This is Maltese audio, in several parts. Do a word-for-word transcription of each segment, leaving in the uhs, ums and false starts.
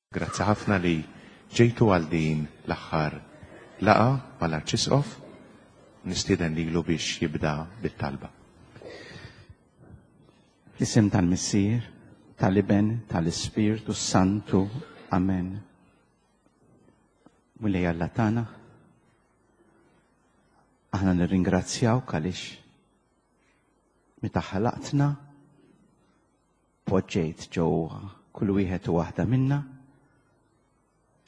Grazzi ħafna li ġejtu għal din l-aħħar laqgħa mal-Arċisqof. Nistieden lilu biex jibda bit-talba. Fl-isem tal-Missier, tal-Iben, tal-Ispirtu Santu. Amen. Mulej Alla tagħna, aħna nirringrazzjawk għaliex meta ħalaqtna poġġejt ġewwa kull wieħed u waħda minna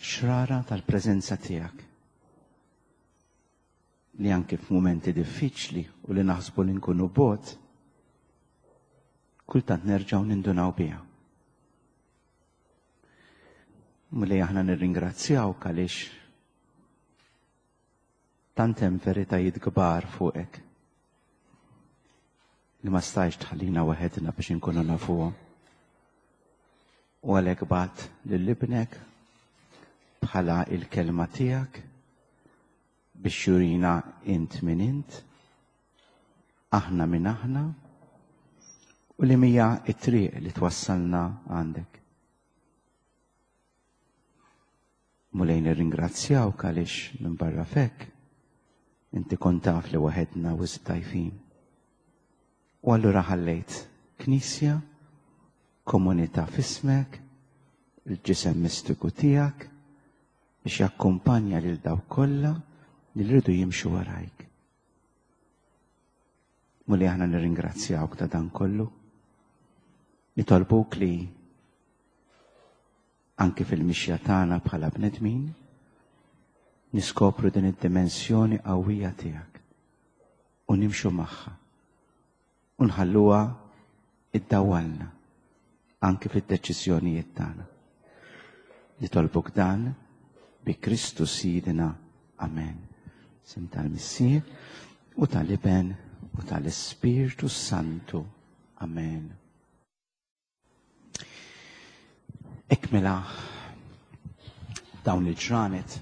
xrara tal-preżenza tiegħek li anke f'mumenti diffiċli u li naħsbu li nkunu bot, kultant nerġgħu nindunaw biha. Mulej, aħna nirringrazzjawk għaliex tant hemm veritajiet kbar fuqek li ma stajx tħallina waħedna biex inkunu nafuhom. U għalhekk bgħatt lil ibnek bħala il-kelma tiegħek biex jurina int min int, aħna min aħna, u li mija it-triq li twassalna għandek. Mulej, nirringrazzjawk għaliex minn barra fek inti kont taf li waħedna wisq dgħajfin. U allura ħallejt knisja, komunità f'ismek, il-ġisem mistiku tiegħek biex jakkumpanja lil dawk kollha li rridu jimxu warajk. Mulej, aħna nirringrazzjawk ta' dan kollu. Nitolbuk li anke fil-mixja tagħna bħala bnedmin niskopru din id-dimensjoni qawwija tiegħek u nimxu magħha u nħalluha iddawwalna anke fid-deċiżjonijiet tagħna. Nitolbuk dan bi Kristu Sidna. Amen. Sim tal-Missier u tal-Iben u tal-Ispirtu Santu. Amen. Ekmela dawn il-ġranet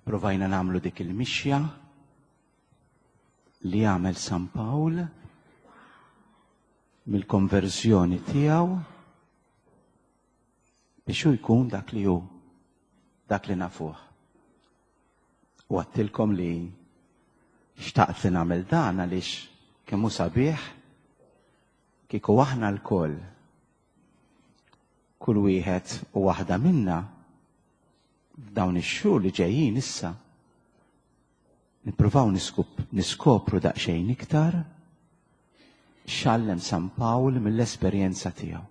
provajna namlu dik il-mixja li għamel San Pawl mill-konverżjoni tiegħu biex hu jkun dak li hu, dak li nafuh. U għattilkom li xtaqt li nagħmel dan għaliex kemm hu sabiħ kieku aħna lkoll, kull wieħed u waħda minna f'dawn ix-xhur li ġejjin issa nippruvaw niskopru daqsxejn iktar x'għallem San Pawl mill-esperjenza tiegħu.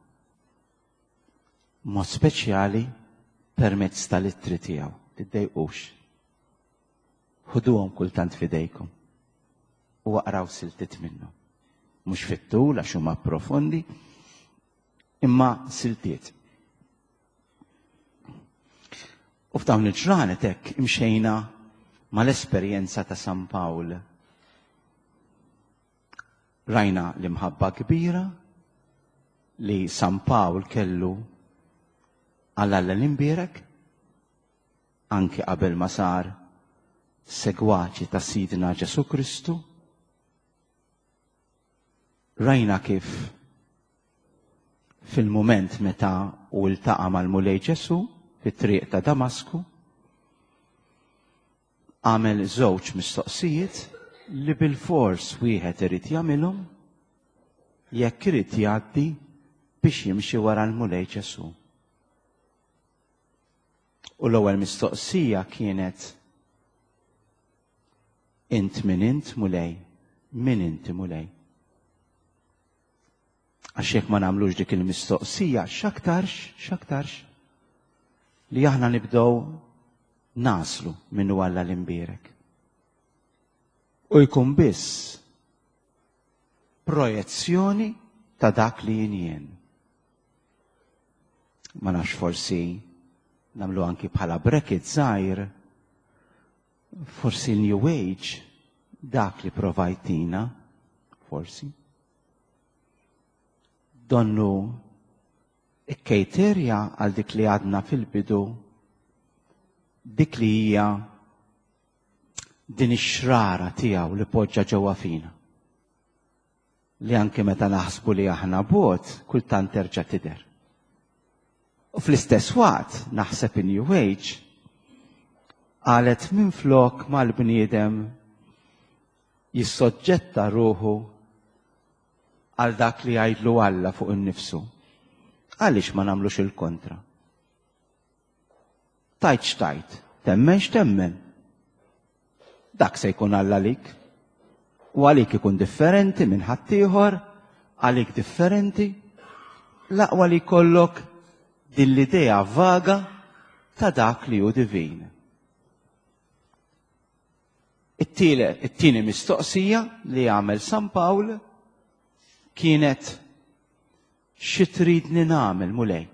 Mod speċjali permezz tal-ittri tiegħu. Tiddejqux. Ħuduhom kultant f'idejkom u aqraw siltiet minnhom. Mhux fit-tul għax huma profondi, imma siltiet. U f'dawn il-ġranet hekk imxejna mal-esperjenza ta' San Pawl. Rajna l-imħabba kbira li San Pawl kellu għal Alla l-imbierek, anki qabel ma sar segwaċi ta' Sidna Ġesu Kristu. Rajna kif fil-moment meta u ltaqa' mal-Mulej Ġesu fit-triq ta' Damasku, għamel żewġ mistoqsijiet li bil-fors wieħed irid jagħmilhom jekk irid jgħaddi biex jimxi wara l-Mulej Ġesu. U l-ewwel mistoqsija kienet: int min int Mulej? Min inti Mulej? Għax jekk ma nagħmlux dik il-mistoqsija, x'aktarx, x'aktarx li aħna nibdew naslu minnu Alla l-imbierek. U jkun biss projezzjoni ta' dak li jien jien. Ma nafx, forsi nagħmlu anki bħala bracket żgħir, forsi l-New Age dak li provajtina, forsi. Donnu ikkejterja għal dik li għadna fil-bidu, dik li hija din ix-xrara tiegħu li poġġa ġewwa fina. Li anke meta naħsbu li aħna bot, kultant terġa' tidher. U fl-istess waqt naħseb in New Age qalet minflok mal-bniedem jissoġġetta ruħu għal dak li jgħidlu Alla fuq innifsu. Għaliex ma nagħmlux il-kontra? Tajt x'tajt, temmen x'temmen. Dak se jkun Alla għalik. U għalik ikun differenti minn ħaddieħor, għalik differenti. L-aqwa li jkollok din l-idea vaga ta' dak li hu divin. It-tieni mistoqsija li għamel San Pawl kienet xi tridni nagħmel Mulej?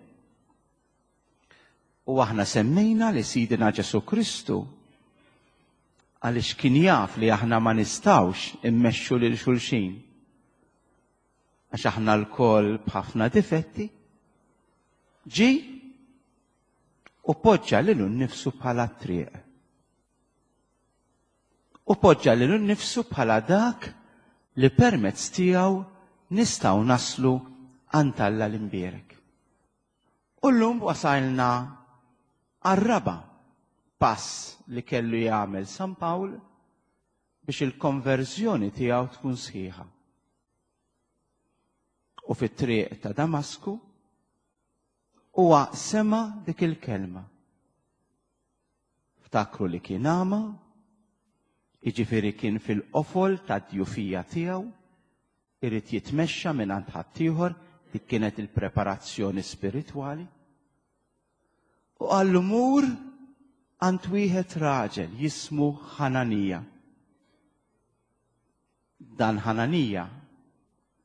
U aħna semmejna li Sidina Ġesu Kristu għaliex kien jaf li aħna ma nistgħux immexxu lil xulxin. Għax aħna lkoll b'ħafna difetti, ġi u poġġa lilu nnifsu bħala triq. U poġġa lilu nnifsu bħala dak li permezz tiegħu nistgħu naslu għand Alla l-imbierek. U llum wasalna għar-raba' pass li kellu jagħmel San Pawl biex il-konverżjoni tiegħu tkun sħiħa. U fit-triq ta' Damasku huwa sema dik il-kelma. Ftakru li kien għama, jiġifieri kien fil-qofol tad-djufija tiegħu, irid jitmexxa minn għand ħaddieħor, dik kienet il-preparazzjoni spiritwali. U qallu mur għand wieħed raġel jismu Ħananija. Dan Ħananija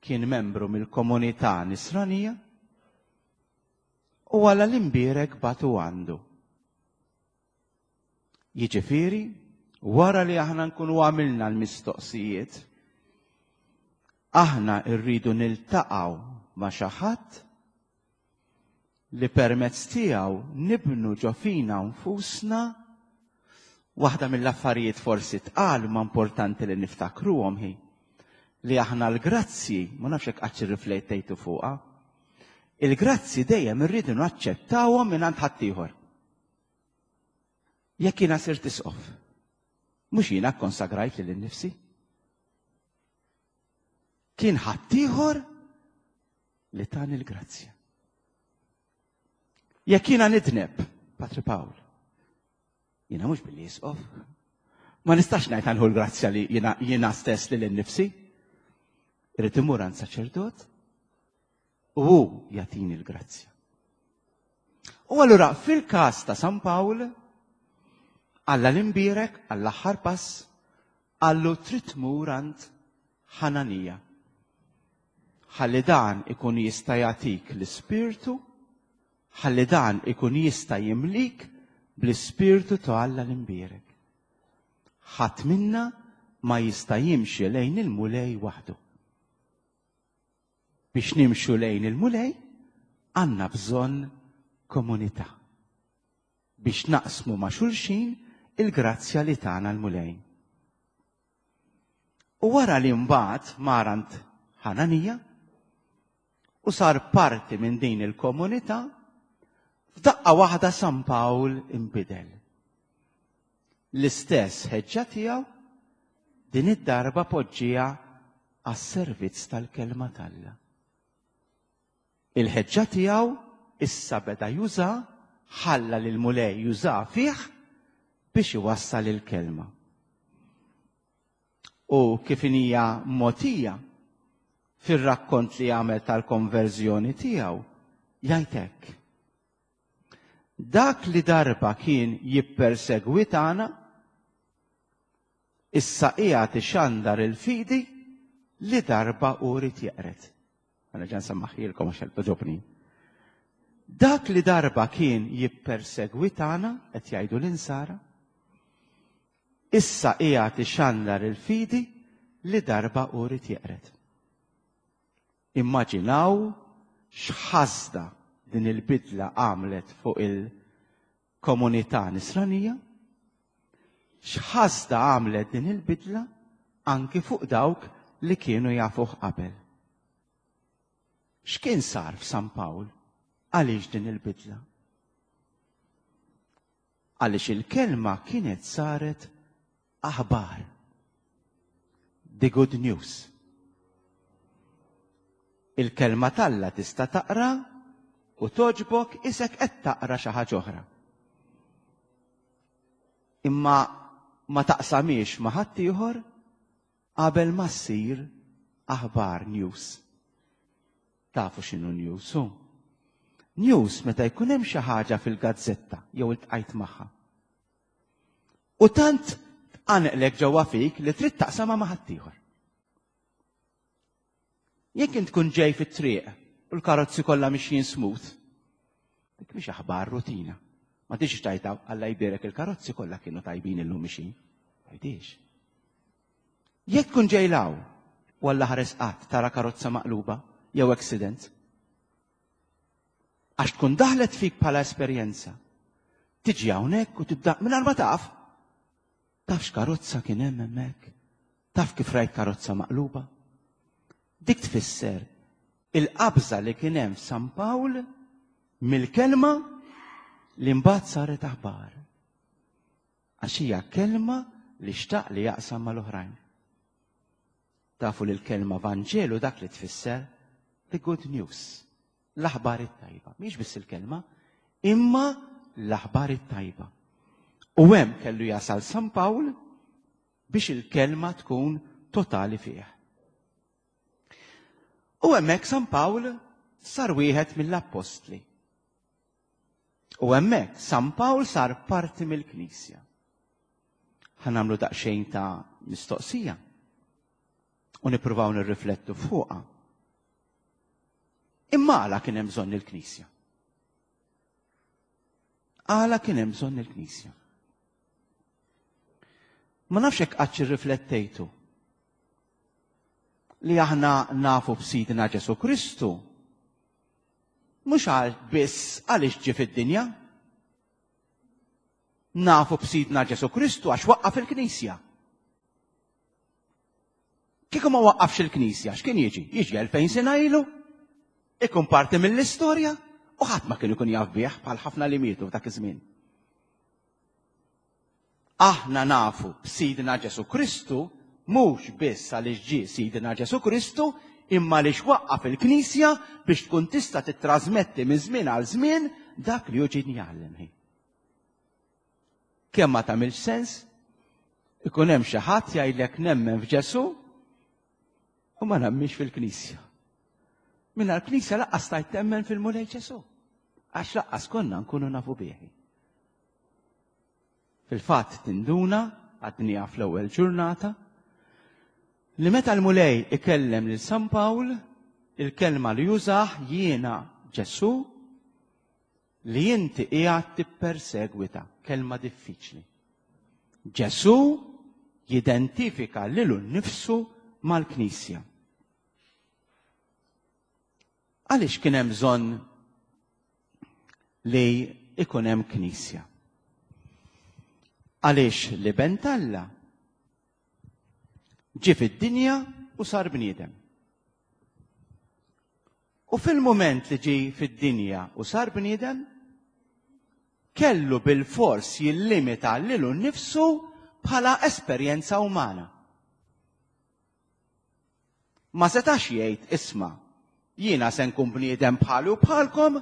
kien membru mill-komunità nisranija u Alla l-imbierek bagħtu għandu. Jiġifieri, wara li aħna nkunu għamilna l-mistoqsijiet, aħna rridu niltaqgħu ma' xi ħadd li permezz tiegħu nibnu ġo fina nfusna waħda mill-affarijiet forsi tqal ma importanti li niftakruhom hi li aħna l-grazzji, ma nafx hekk qatt irriflettejtu fuqha, il-grazzi dejjem irridu naċċettawhom minn għand ħaddieħor. Jekk jiena sirt isqof, mhux jiena kkonsagrajt lil innifsi. Kien ħaddieħor li tani l-grazzja. Jekk jiena nidneb, Patri Pawl, jiena mhux billi isqof, ma nistax ngħid għanħu l-grazzja li jiena, jiena stess lil innifsi. Irrid imur għand saċerdot u hu jagħtini l-grazzja. U allura fil-każ ta' San Pawl, Alla l-imbierek għall-aħħar pass, qallu trid tmur għand Ħananija. Ħalli dan ikun jista' jagħtik l-Ispirtu, ħalli dan ikun jista' jimlik bl-Ispirtu ta' Alla l-imbierek. Ħadd minna ma jista' jimxi lejn il-Mulej waħdu. Biex nimxu lejn il-Mulej, għandna bżonn komunità. Biex naqsmu ma' xulxin il-grazzja li tana l-Mulej. U wara li mbagħad mar għand Ħananija u sar parti minn din il-komunità, f'daqqa waħda San Pawl inbidel. L-istess ħeġġa tiegħu din id-darba poġġija għas-servizz tal-kelma t'Alla. Il-ħeġġa tiegħu issa beda juża, ħalla lil Mulej juża fih biex iwassal il-kelma. U kif hija mogħtija fir-rakkont li għamel tal-konverżjoni tiegħu, jgħid hekk. Dak li darba kien jippersegwitana, issa qiegħed ixandar il-fidi li darba hu ried jeqred. Għana ġan sammaħilkom għax toġobni. Dak li darba kien jippersegwitana, qed jgħidu l-insara, issa qiegħed ixandar il-fidi li darba hu ried jeqred. Immaġinaw x'ħasda din il-bidla għamlet fuq il-komunità nisranija, x'ħasda għamlet din il-bidla anki fuq dawk li kienu jafuh qabel. X'kien sar f'San Pawl? Għaliex din il-bidla? Għaliex il-kelma kienet saret aħbar. The good news. Il-kelma t'Alla tista' taqra u togħġbok isek qed taqra xi ħaġa oħra. Imma ma taqsamix ma' ħaddieħor qabel ma ssir aħbar, news. Tafu x'inhu news hu? News meta jkun hemm xi ħaġa fil-gazzetta jew iltqajt magħha. U tant tqanqlek ġewwa fik li trid taqsamha ma' ħaddieħor. Jekk int tkun ġej fit-triq u l-karozzi kollha mixjin smooth, dik mhix aħbar, rutina. Ma tiġix tajta "Alla jbierek, il-karozzi kollha kienu tajbin illum mixjin". Tgħidix. Jekk tkun ġej 'l hawn u Alla ħares qatt tara karozza maqluba jew accident, għax tkun daħlet fik bħala esperjenza. Tiġi hawnhekk u tibda mingħajr ma taf. Taf x'karozza kien hemm hemmhekk? Taf kif rajt karozza maqluba? Dik tfisser il-qabża li kien hemm f'San Pawl mill-kelma li mbagħad saret aħbar. Għax hija kelma li xtaq li jaqsam mal-oħrajn. Tafu li l-kelma Vanġelu dak li tfisser, the good news, l-aħbar it-tajba. Mhix biss il-kelma, imma l-aħbar it-tajba. U hemm kellu jasal San Pawl biex il-kelma tkun totali fih. U hemmhekk San Pawl sar wieħed mill-appostli. U hemmhekk San Pawl sar parti mill-Knisja. Ħa nagħmlu daqsxejn ta' mistoqsija u nippruvaw nirriflettu fuqha. Imma għala kien hemm bżonn il-Knisja? Għala kien hemm bżonn il-Knisja? Ma nafx hekk qatt irriflettejtu li aħna nafu b'Sidna Ġesu Kristu mhux għal biss għaliex ġie fid-dinja. Nafu b'Sidna Ġesu Kristu għax waqqaf il-Knisja. Kieku ma waqqafx il-Knisja, x'kien jiġi? Jiġi elfejn sena ilu, ikun parti mill-istorja u ħadd ma kien ikun jaf bih, bħal ħafna li mietu f'dak iż-żmien. Aħna nafu b'Sidna Ġesu Kristu mhux biss għaliex ġie Sidna Ġesu Kristu, imma għaliex waqqaf il-Knisja biex tkun tista' titrasmetti minn żmien għal żmien dak li hu ġie jgħallem. Kemm ma tagħmilx sens ikun hemm xi ħadd jgħidlek "nemmen f'Ġesu u ma nemminx fil-Knisja". Mingħajr l-Knisja lanqas stajt temmen fil-Mulej Ġesu. Għax lanqas konna nkunu nafu bih. Fil-fatt tinduna, għadnieha fl-ewwel ġurnata, li meta l-Mulej ikellem lil San Pawl, il-kelma li jużah "jiena Ġesu li inti qiegħed tippersegwita", kelma diffiċli. Ġesu jidentifika lilu nnifsu mal-Knisja. Għaliex kien hemm bżonn li ikun hemm Knisja? Għaliex l-Iben t'Alla ġie fid-dinja u sar bniedem. U fil-moment li ġi fid-dinja u sar bniedem, kellu bil-fors jillimita lilu nnifsu bħala esperjenza umana. Ma setax jgħid, "Isma', jiena se nkun bniedem bħali u bħalkom,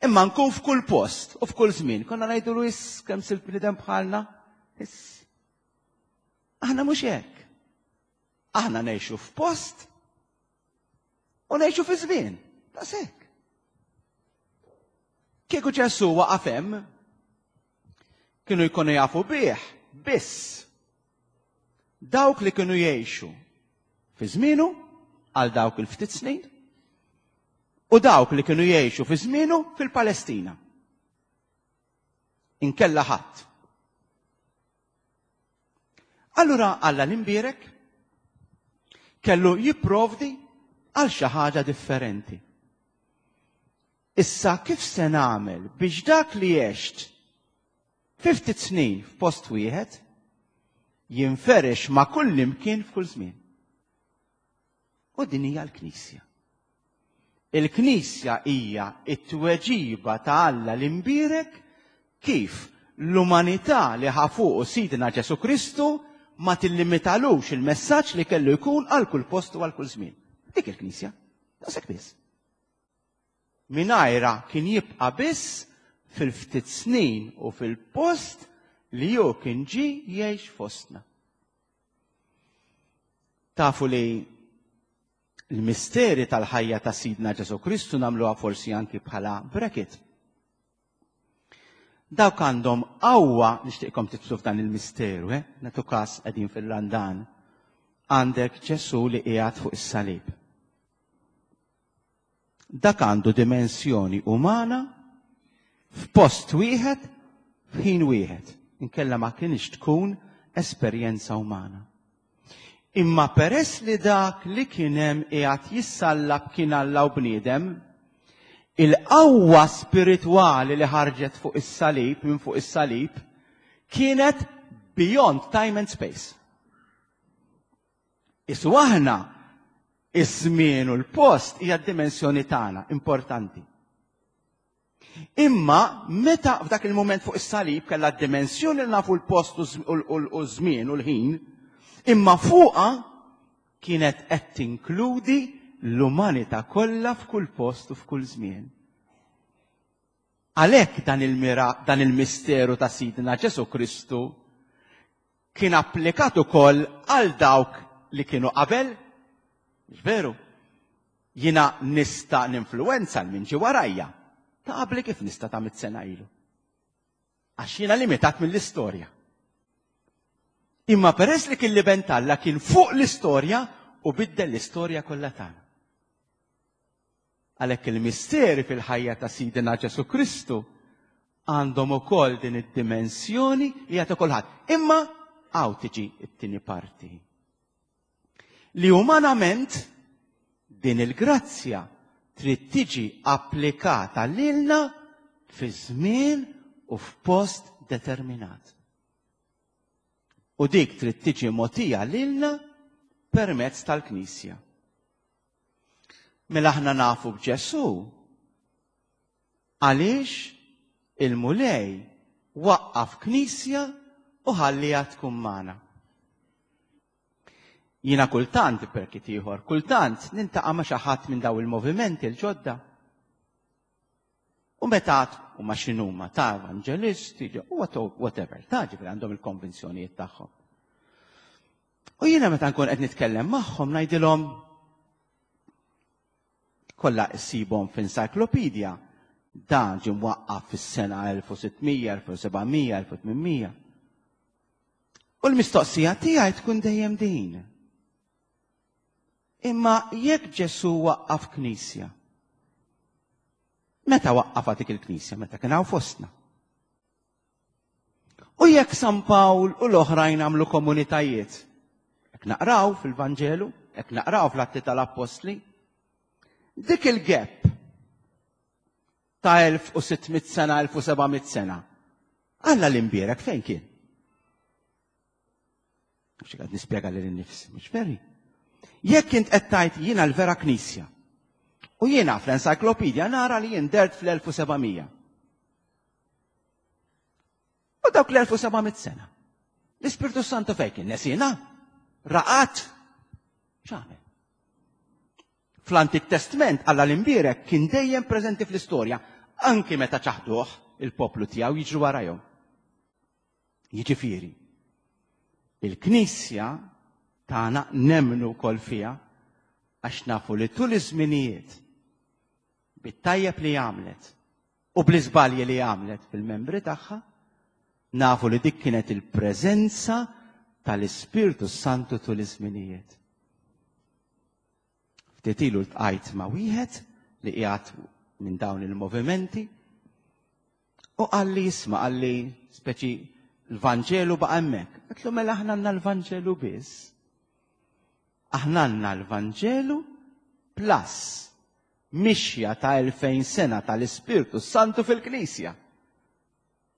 imma nkun f'kull post u f'kull żmien." Konna ngħidu, "Iss kemm sirt bniedem bħalna." Iss. Aħna mhux hekk. Aħna ngħixu f'post u ngħixu fi żmien. Daqshekk. Kieku Ġesu waqaf hemm, kienu jkunu jafu bih biss dawk li kienu jgħixu fi żmienu għal dawk il-ftit snin u dawk li kienu jgħixu fi żmienu fil-Palestina. Inkella ħadd. Allura Alla l-imbierek kellu jipprovdi għal xi ħaġa differenti. Issa kif se nagħmel biex dak li għext fi ftit snin f'post wieħed jinferex ma' kull imkien f'kull żmien? U din hija l-Knisja. Il-Knisja hija t-tweġiba ta' Alla l-imbierek kif l-umanità li ħa fuqu Sidna Ġesù Kristu ma tillimitalux il-messaġġ li kellu jkun għal kull post u għal kull żmien. Dik il-Knisja. Daqshekk biss. Mingħajrha kien jibqa' biss fil-ftit snin u fil-post li hu kien ġie jgħix fostna. Tafu li l-misteri tal-ħajja ta' Sidna Ġesù Kristu nagħmluha forsi anki bħala bracket. Dawk għandhom qawwa, nixtieqkom tidħlu f'dan il-misteru, eh? Nagħtu każ qegħdin fil-Randan. Għandek Ġesù li qiegħed fuq is-salib. Dak għandu dimensjoni umana f'post wieħed, f'ħin wieħed. Inkella ma kienx tkun esperjenza umana. Imma peress li dak li kien hemm qiegħed jissallab kien Alla u bniedem, il-qawwa spiritwali li ħarġet fuq is-salib, minn fuq is-salib, kienet beyond time and space. Isu aħna, iż-żmien u l-post hija d-dimensjoni tagħna importanti. Imma meta f'dak il-moment fuq is-salib kellha d-dimensjoni li nafu l-post u ż-żmien u l-ħin, imma fuqha kienet qed tinkludi l-umanità kollha f'kull post u f'kull żmien. Għalhekk dan il-mira, dan il-misteru ta' Sidna Ġesù Kristu kien applikat ukoll għal dawk li kienu qabel. Mhux veru? Jiena nista' ninfluwenza l min ġie warajja. Ta' qabli kif nista' ta' mitt sena ilu? Għax jiena limitat mill-istorja. Imma peress li kien l-Iben t'Alla kien fuq l-istorja u biddel l-istorja kollha tagħna. Għalhekk il-misteri fil-ħajja ta' Sidina Ġesù Kristu għandhom ukoll din id-dimensjoni li jagħtu kulħadd. Imma hawn tiġi t-tieni parti. Li umanament din il-grazzja trid tiġi applikata lilna fi żmien u f'post determinat. U dik trid tiġi mogħtija lilna permezz tal-Knisja. Mela aħna nafu b'Ġesù għaliex il-Mulej waqqaf Knisja u ħalliha tkun magħna. Jiena kultant, perkit ieħor, kultant nintaqa' ma' xi ħadd minn daw il-movimenti l-ġodda. U meta u ma x'inhuma ta' evangelisti, whatever, ta' ġifieri għandhom il-konvinzjonijiet tagħhom. U jiena meta nkun qed nitkellem magħhom ngħidilhom kollha issibhom f'encyclopedia dan ġie mwaqqaf fis-sena elf u sitt mija, elf u seba' mija, elf u tmien mija. U l-mistoqsija tiegħi tkun dejjem din. Imma jekk Ġesù waqqaf knisja, meta waqqafha dik il-knisja? Meta kien hawn fostna. U jekk San Pawl u l-oħrajn għamlu komunitajiet, jekk naqraw fil-Vanġelu, jekk naqraw fl-Atti tal-Appostli, dik il-gap ta' elf u sitt mitt sena, elf u seba' mitt sena, Alla l-imbierek fejn kien? Mhux qed nispjega lil innifsi, mhux veri. Jekk int qed tgħid jiena l-vera knisja, u jiena fl-encyclopedia nara li jien dert fl-elf u seba' mija. U dawk l-elf u seba' mitt sena. L-Ispirtu Santu fejn kien? Nesina? Raqat? X'għamel? Fl-Antik Testament Alla l-imbierek kien dejjem preżenti fl-istorja, anki meta ċaħduh il-poplu tiegħu jiġru warajhom. Jiġifieri, il-Knisja tagħna nemmnu wkoll fiha għax nafu li tul iż-żminijiet bit-tajjeb li għamlet u bl-iżbalji li għamlet fil-membri tagħha, nafu li dik kienet il-preżenza tal-Ispirtu Santu tul iż-żminijiet. Ftit ilu ltqajt ma' wieħed li qiegħed minn dawn il-movimenti u qalli jisma', qalli speċi l-Vanġelu baqa' hemmhekk. Għedtlu mela aħna għandna l-Vanġelu biss. Aħna għandna l-Vanġelu plus mixja ta' elfejn sena tal-Ispirtu Santu fil-Knisja.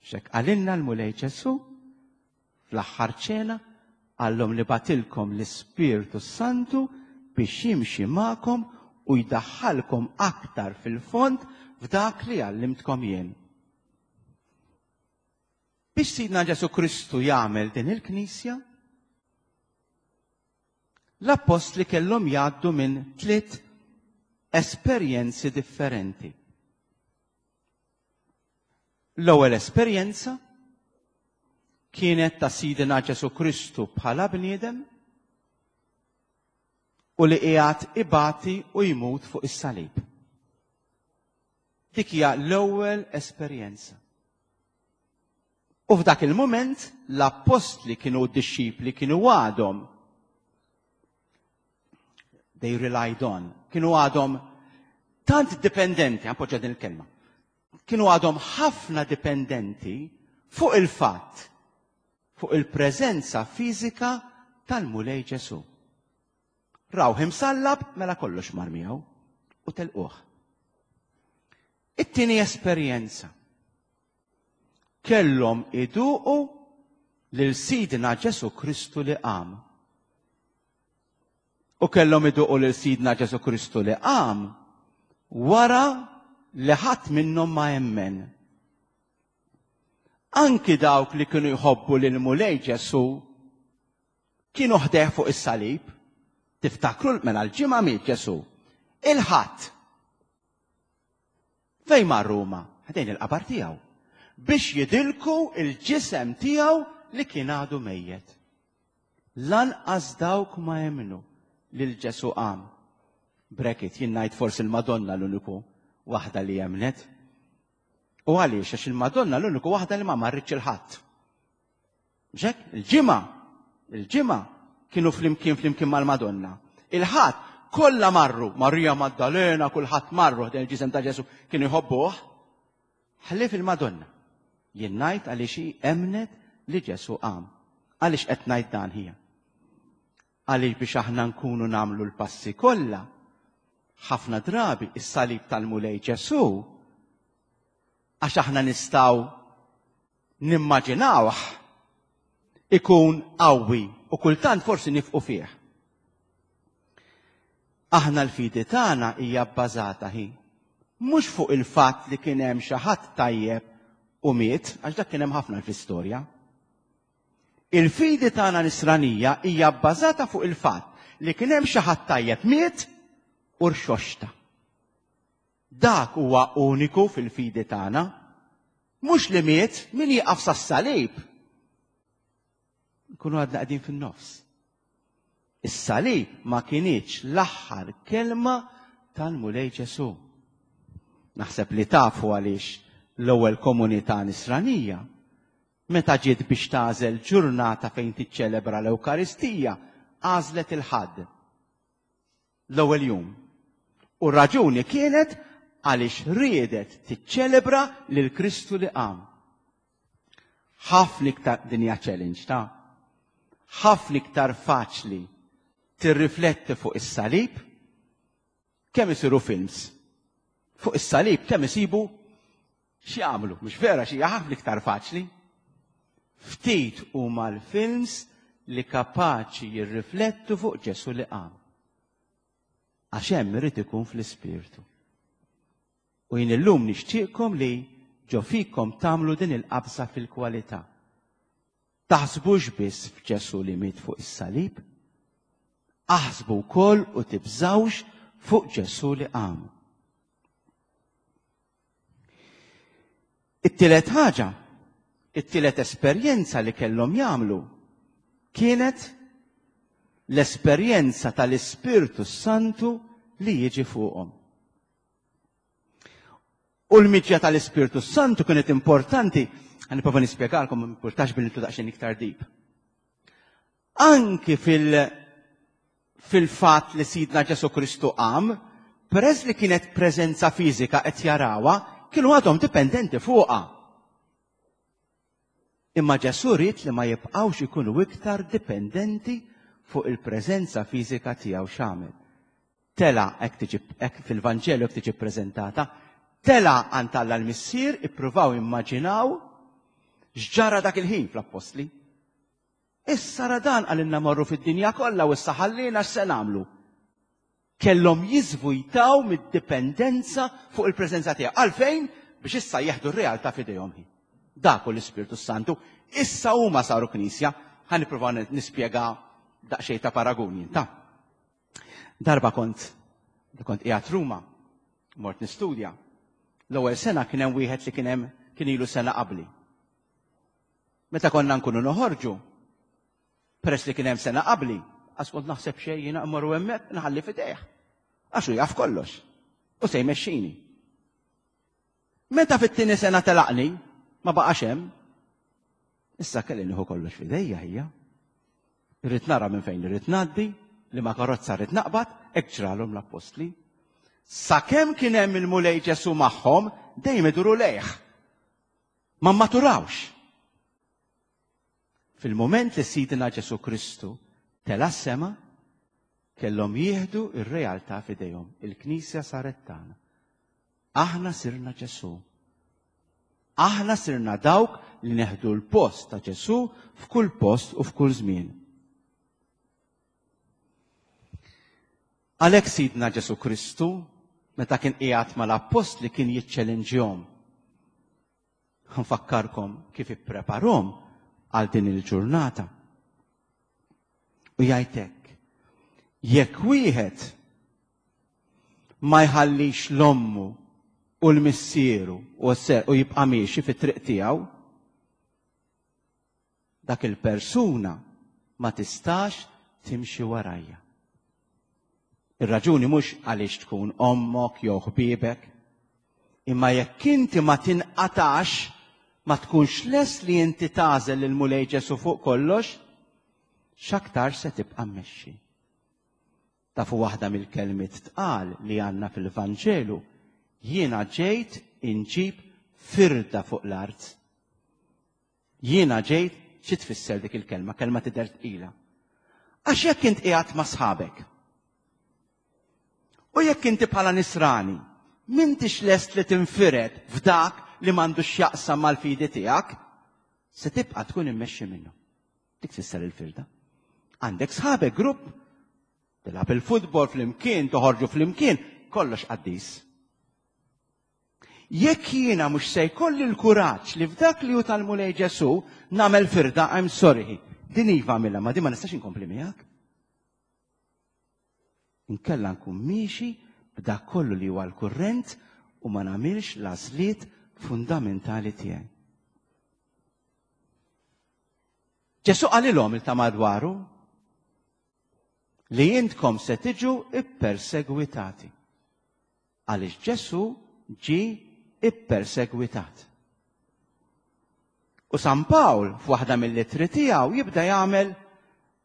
Xek qalilna l-Mulej Ġesù fl-aħħar ċena, qallhom li bagħtilkom l-Ispirtu Santu biex jimxi magħkom u jdaħħalkom aktar fil-fond f'dak li għallimtkom jien. Biex Sidna Ġesù Kristu jagħmel din il-Knisja, l-appostli kellhom jgħaddu minn tliet esperjenzi differenti. L-ewwel esperjenza kienet ta' Sidna Ġesù Kristu bħala bniedem u li qiegħed ibati u jmut fuq is-salib. Dik hija l-ewwel esperjenza. U f'dak il-mument l-appostli kienu d-dixxipli kienu għadhom they relied on, kienu għadhom tant dipendenti, għampoġġa din il-kelma, kienu għadhom ħafna dipendenti fuq il-fatt, fuq il-preżenza fiżika tal-Mulej Ġesù. Rawh imsallab mela kollox mar miegħu u telquh. It-tieni esperjenza. Kellhom iduqu lil Sidna Ġesù Kristu li qam. U kellhom iduqu lil Sidna Ġesù Kristu li qam wara li ħadd minnhom ma emmen. Anki dawk li kienu jħobbu lil Mulej Ġesù kienu ħdejh fuq is-salib. Tiftakru mela l-ġimgħa miet Ġesù. Il-Ħadd. Fejn mar Ruma? Ħdejn il-qabar tiegħu. Biex jidilku il-ġisem tiegħu li kien għadu mejjet. Lanqas dawk ma emmnu lil Ġesù qam. Bracket, jien ngħid forsi il-Madonna l-uniku waħda li emnet. U għaliex? Għax il-Madonna l-uniku waħda li ma marritx il-Ħadd. Ġek, il-ġimgħa, il-ġimgħa kienu flimkien flimkien mal-Madonna. Il-Ħadd kollha marru, Marija Maddalena, kulħadd marru ħdejn il-ġisem ta' Ġesù kienu jħobbuh. Ħlief il-Madonna. Jien ngħid għaliex hi emnet li Ġesù qam. Għaliex qed ngħid dan hija? Għaliex biex aħna nkunu nagħmlu l-passi kollha, ħafna drabi is-salib tal-Mulej Ġesù, għax aħna nistgħu nimmaġinawh ikun qawwi u kultant forsi nifqu fih. Aħna l-fidi tagħna hija bbażata hi mhux fuq il-fatt li kien hemm xi ħadd tajjeb u miet, għax dak kien hemm ħafna fl-istorja. Il-fidi tagħna nisranija hija bbażata fuq il-fatt li kien hemm xi ħadd tajjeb miet u rxoxta. Dak huwa uniku fil-fidi tagħna. Mhux li miet min jieqaf sas-salib. Nkunu għadna qegħdin fin-nofs. Is-salib ma kinitx l-aħħar kelma tal-Mulej Ġesù. Naħseb li tafu għaliex l-ewwel komunità nisranija meta ġiet biex tagħżel ġurnata fejn tiċċelebra l-Ewkaristija, għażlet il-Ħadd. L-ewwel jum. U raġuni kienet għaliex riedet tiċċelebra lil Kristu li qam. Ħafna iktar dinja challenge ta' ħafna iktar faċli tirrifletti fuq is-salib kemm isiru films. Fuq is-salib kemm isibu x'jagħmlu, mhux vera xi ħafna iktar faċli. Ftit huma l-films li kapaċi jirriflettu fuq Ġesù li qam. Għax hemm irid ikun fl-ispirtu. U jien illum nixtieqkom li ġo fikom tagħmlu din il-qabża fil-kwalità. Taħsbux biss f'Ġesù li miet fuq is-salib, aħsbu wkoll u tibżawx fuq Ġesù li qam. It-tielet ħaġa, it-tielet esperjenza li kellhom jagħmlu kienet l-esperjenza tal-Ispirtu Santu li jiġi fuqhom. U l-miġja tal-Ispirtu Santu kienet importanti, għan nipprova nispjegalkom, ma importax billi nitlu daqsxejn iktar deep. Anki fil- fil-fatt li Sidna Ġesù Kristu qam, peress li kienet preżenza fiżika qed jarawha, kienu għadhom dipendenti fuqha. Imma Ġesù ried li ma jibqgħux ikunu iktar dipendenti fuq il-preżenza fiżika tiegħu x'għamel. Tela hekk tiġi hekk fil-Vanġelu hekk tiġi ppreżentata, tela għand Alla l-Missier, ippruvaw immaġinaw x'ġara dak il-ħin fl-Appostli. Issa ra dan qalilna morru fid-dinja kollha u issa ħallina x'se nagħmlu. Kellhom jiżvujtaw mid-dipendenza fuq il-preżenza tiegħu. Għalfejn? Biex issa jieħdu r-realtà f'idejhom. Dak hu l-Ispirtu Santu. Issa huma saru knisja. Ħa nipprova nispjega daqsxejn ta' paraguni. Ta' darba kont kont qiegħed Ruma, mort nistudja. L-ewwel sena kien hemm wieħed li kien hemm kien ilu sena qabli. Meta konna nkunu noħorġu, peress li kien hemm sena qabli, għax kont naħseb xejn jiena mmorru hemmhekk nħalli f'idejh. Għax hu jaf kollox. U se jmexxini. Meta fit-tieni sena telaqni, ma baqax hemm, issa kelli nieħu kollox f'idejja hija. Irrid nara minn fejn irrid ngħaddi, li ma karozza rrid naqbad, hekk ġralhom l-appostli. Sakemm kien hemm il-Mulej Ġesu magħhom, dejjem iduru lejh. Ma mmaturawx. Fil-moment li Sidna Ġesu Kristu tela' s-sema, kellhom jieħdu ir-realtà f'idejhom. Il-Knisja saret tagħna. Aħna sirna Ġesu. Aħna sirna dawk li neħdu l-post ta' Ġesu f'kull post u f'kull żmien. Għalhekk Sidna Ġesu Kristu, meta kien qiegħed mal-appostli kien jiċċellinġjhom. Nfakkarkom kif ippreparhom għal din il-ġurnata. U jgħid hekk, jekk wieħed ma jħallix l-ommu u l-missieru u u jibqa' miexi fit-triq tiegħu, dak il-persuna ma tistax timxi warajja. Ir-raġuni mhux għaliex tkun ommok jew ħbiebek, imma jekk inti ma tinqatax, ma tkunx lest li inti tagħżel lil Mulej Ġesu fuq kollox, x'aktar se tibqa' mmexxi. Tafu waħda mill-kelmiet tqal li għandna fil-Vanġelu, jiena ġejt inġib firda fuq l-art. Jiena ġejt, xi tfisser dik il-kelma? Kelma tidher tqila. Għax jekk int qiegħed ma' sħabek, u jekk inti bħala nisrani, m'intix lest li tinfired f'dak li m'għandux x'jaqsam mal-fidi tiegħek, se tibqa' tkun immexxi minnu. Dik tfisser il-firda. Għandek sħabek grupp, tilgħab il-futbol flimkien, toħorġu flimkien, kollox qaddis. Jekk jiena mhux se jkolli l-kuraġġ li f'dak li hu tal-Mulej Ġesu nagħmel firda, I'm sorry. Din iva għamilha, ma din ma nistax inkompli miegħek. Inkella nkun miexi b'dak kollu li huwa l-kurrent u ma nagħmilx l-għażliet fundamentali tiegħi. Ġesu qalilhom il ta' madwaru li intkom se tiġu ippersegwitati. Għaliex Ġesu ġie ippersegwitat. U San Pawl f'waħda mill-ittri tiegħu jibda jagħmel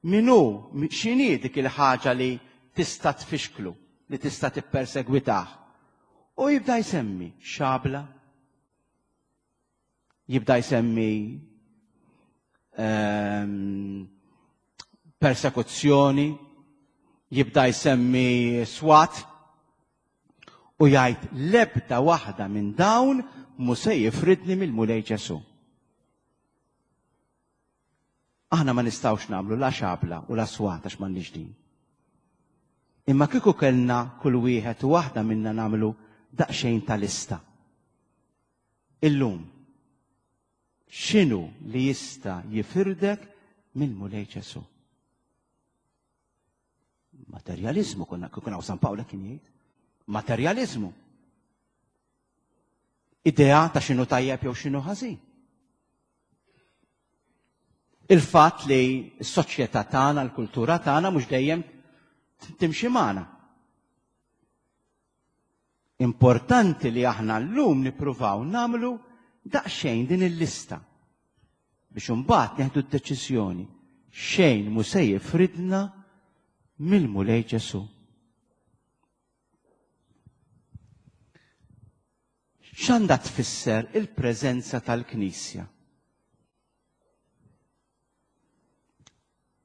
min hu, x'inhi dik il-ħaġa li tista' tfixklu, li tista' tippersegwitah. U jibda jsemmi xabla, jibda jsemmi ehm, persekuzzjoni, jibda jsemmi swat, u jgħid l-ebda waħda minn dawn mhu se jifridni mill-Mulej Ġesu. Aħna ma nistgħux nagħmlu la xabla u la swat għax m'għandniex din. Imma kieku kellna kull wieħed u waħda minna nagħmlu daqsxejn ta' lista. Illum, x'inhu li jista' jifirdek mill-Mulej Ġesu? Materjaliżmu, konna kieku hawn San Pawl kien jgħid. Materjaliżmu. Idea ta' x'inhu tajjeb jew x'inhu ħażin. Il-fatt li s-soċjetà tagħna, l-kultura tagħna mhux dejjem timxi magħna. Importanti li aħna llum nippruvaw nagħmlu daqsxejn din il-lista biex imbagħad neħdu d-deċiżjoni. Xejn mhu se jifridna mill-Mulej Ġesu. X'għandha tfisser il-preżenza tal-Knisja?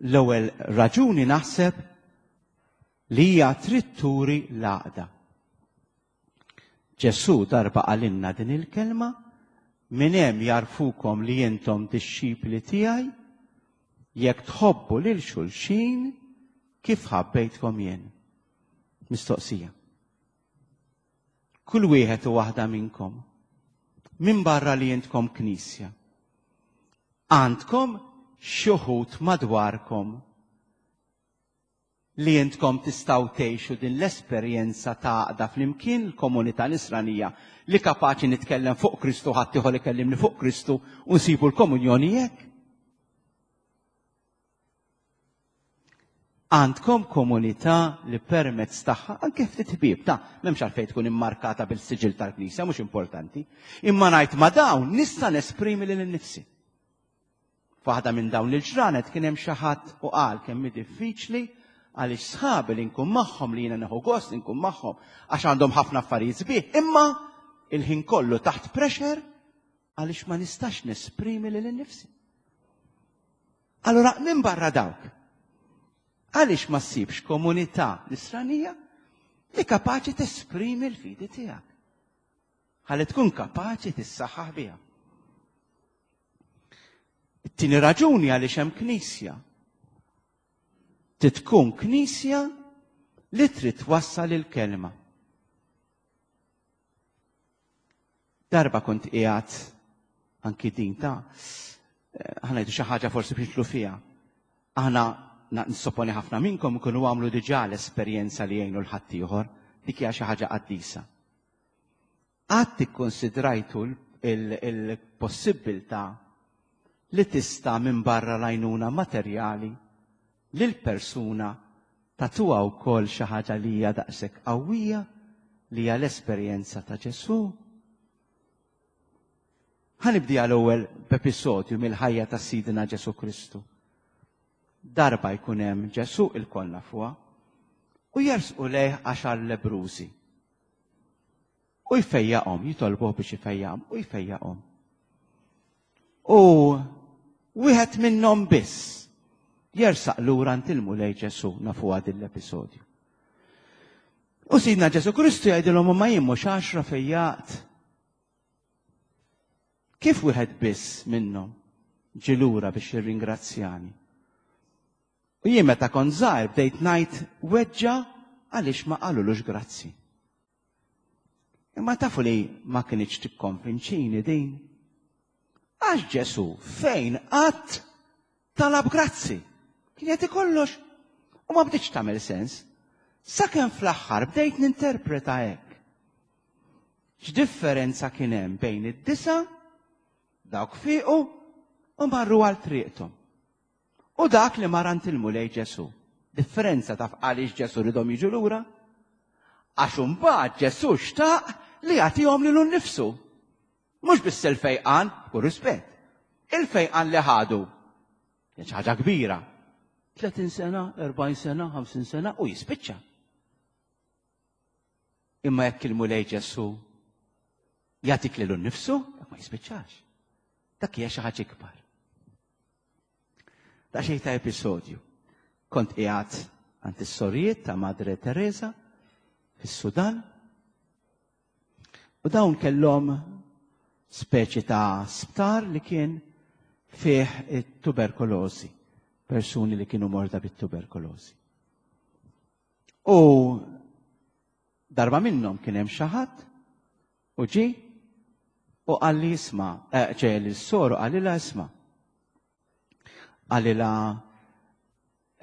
L-ewwel raġuni naħseb li hija trid turi l-għaqda. Ġesu darba qalilna din il-kelma, minn hemm jarfukom li intom dixxipli tiegħi jekk tħobbu lil xulxin kif ħabbejtkom jien. Mistoqsija. Kull wieħed u waħda minnkom, minn barra li intkom knisja, għandkom xi wħud madwarkom li intkom tistgħu tgħixu din l-esperjenza ta' għaqda flimkien l-komunità nisranija li kapaċi nitkellem fuq Kristu, ħadd ieħor ikellimni fuq Kristu u nsibu l-komunjoni hekk. Għandkom komunità li permezz tagħha anke ftit ħbieb ta' m'hemmx għalfejn tkun immarkata bil-siġil tal-Knisja, mhux importanti, imma ngħid ma' dawn nista' nesprimi lil innifsi. F'waħda minn dawn il-ġranet kien hemm xi ħadd u qal kemm hi diffiċli għaliex sħabi li nkun magħhom li jiena nieħu gost li nkun magħhom għax għandhom ħafna affarijiet sbieħ, imma il-ħin kollu taħt pressure għaliex ma nistax nesprimi lil innifsi. Allura minn barra dawk, għaliex ma ssibx komunità nisranija li kapaċi tesprimi l-fidi tiegħek? Ħalli tkun kapaċi tissaħħaħ biha. It-tieni raġuni għaliex hemm knisja. Trid tkun knisja li trid twassal il-kelma. Darba kont qiegħed anki din ta' ħanajdu xi ħaġa forsi biex nidħlu fiha. Aħna nissoponi ħafna minnkom ikunu għamlu diġà l-esperjenza li jgħinu l-ħaddieħor, dik hija xi ħaġa qaddisa. Qatt ikkonsidrajtu il-possibilità li tista' minn barra l-għajnuna materjali lil persuna tagħtuha wkoll xi ħaġa li hija daqshekk qawwija li hija l-esperjenza ta' Ġesù? Ħanibdi għal-ewwel b'episodju mill-ħajja ta' Sidna Ġesù Kristu. Darba jkun hemm Ġesù ilkoll nafuha u jersqu lejh għaxar lebbrużi. U jfejjaqhom, jitolbuh biex ifejjaqhom u jfejjaqhom. U wieħed minnhom biss jersaq lura għand il-Mulej Ġesù, nafuha din l-episodju. U Sidna Ġesù Kristu jgħidilhom ma jien mhux għaxra fejjaqt. Kif wieħed biss minnhom ġie lura biex jirringrazzjani? U jien meta kont żgħir bdejt ngħid weġġa għaliex ma qalulux grazzi. Imma tafu li ma kinitx tikkonvinċini din. Għax Ġesù fejn qatt talab grazzi. Kien jagħti kollox u ma bdietx tagħmel sens. Sakemm fl-aħħar bdejt ninterpreta hekk. X'differenza kien hemm bejn id-disa, dawk fiequ u marru għal triqthom. U dak li mar għand il-Mulej Ġesù. Differenza taf għaliex Ġesù ridhom jiġu lura? Għax imbagħad Ġesù xtaq li jagħtihom lilu nnifsu. Mhux biss il-fejqan, b'kull rispett. Il-fejqan li ħadu. Kien xi ħaġa kbira. tletin sena, erbgħin sena, ħamsin sena u jispiċċa. Imma jekk il-Mulej Ġesù jagħtik lilu nnifsu, dak ma jispiċċax. Dak hija xi ħaġa ikbar. Daqsxejn ta' episodju. Kont qiegħed għand is-sorijiet ta' Madre Teresa fis-Sudan u dawn kellhom speċi ta' sptar li kien fih it-tuberkulożi, persuni li kienu morda bit-tuberkulożi. U darba minnhom kien hemm xi ħadd u ġie u qalli isma', eh, ġej lis-soru qalilha isma'. Qalilha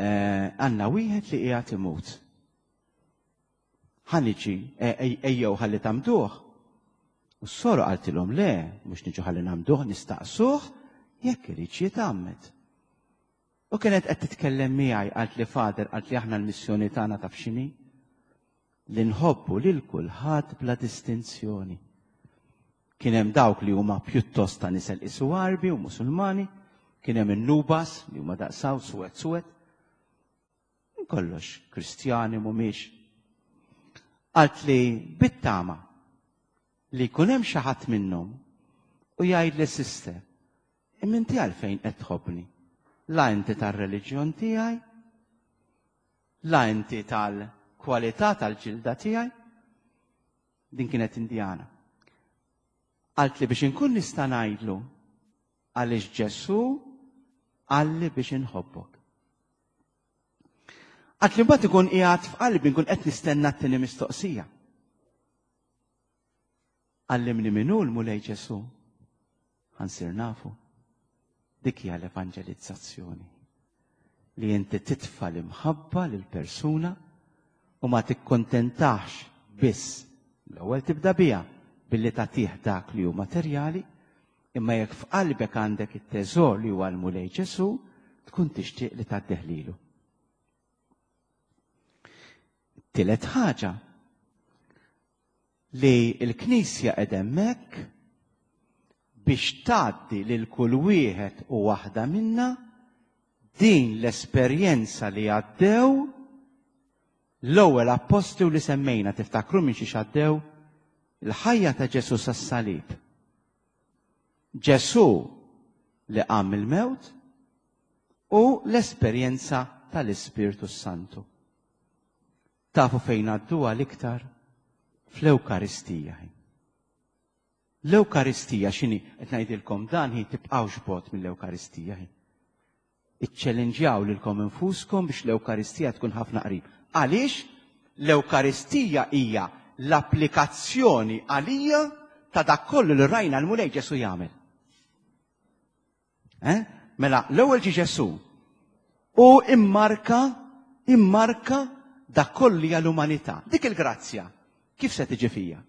għandna wieħed li qiegħed imut. Ħa niġi, ejjew ħalli tagħmduh. U s-soru qaltilhom le, mhux niġu ħalli nagħmduh, nistaqsuh jekk iridx jitgħammed. U kienet qed titkellem miegħi, qalt li Father, qalt li aħna l-missjoni tagħna taf x'inhi? Li nħobbu lil kulħadd bla distinzjoni. Kien hemm dawk li huma pjuttost ta' nisel isu Għarbi u Musulmani, kien hemm in-Nubas li huma daqsaw suwed suwed. Kollox Kristjani mhumiex. Qalt li bit-tama li jkun hemm xi ħadd minnhom u jgħid li sister, imma inti għalfejn qed tħobbni? La inti tar-reliġjon tiegħi, la inti tal-kwalità tal-ġilda tiegħi. Din kienet Indjana. Qalt li biex inkun nista' ngħidlu għaliex Ġesù qalli biex inħobbok. Għad li mbagħad ikun qiegħed f'qalbi nkun qed nistenna t-tieni mistoqsija. Għallimni min hu l-Mulej Ġesù. Ħa nsir nafu. Dik hija l-evanġelizzazzjoni. Li inti titfa' l-imħabba lil persuna u ma tikkontentax biss. L-ewwel tibda biha billi tagħtih dak li hu materjali, imma jekk f'qalbek għandek it-teżor li huwa l-Mulej Ġesù, tkun tixtieq li tgħaddih lilu. Tielet ħaġa li l-Knisja qed hemmhekk biex tgħaddi lil kull wieħed u waħda minna din l-esperjenza li għaddew l-ewwel appostli u li semmejna, tiftakru minn xiex għaddew? Il-ħajja ta' Ġesù sas-salib. Ġesù li qam mill-mewt u l-esperjenza tal-Ispirtu Santu. Tafu fejn għadduha l-iktar? Fl-Ewkaristija. L-Ewkaristija x'inhi? Qed ngħidilkom dan hi tibqgħux bogħod mill-Ewkaristija. Iċċellenġjaw lilkom infuskom biex l-Ewkaristija tkun ħafna qrib. Għaliex? L-Ewkaristija hija l-applikazzjoni għalija ta' dak kollu li rajna l-Mulej Ġesù jagħmel. Eh? Mela, l-ewwel ġie Ġesù u immarka, immarka dak kollu li hija l-umanità. Dik il-grazzja, kif se tiġi fija?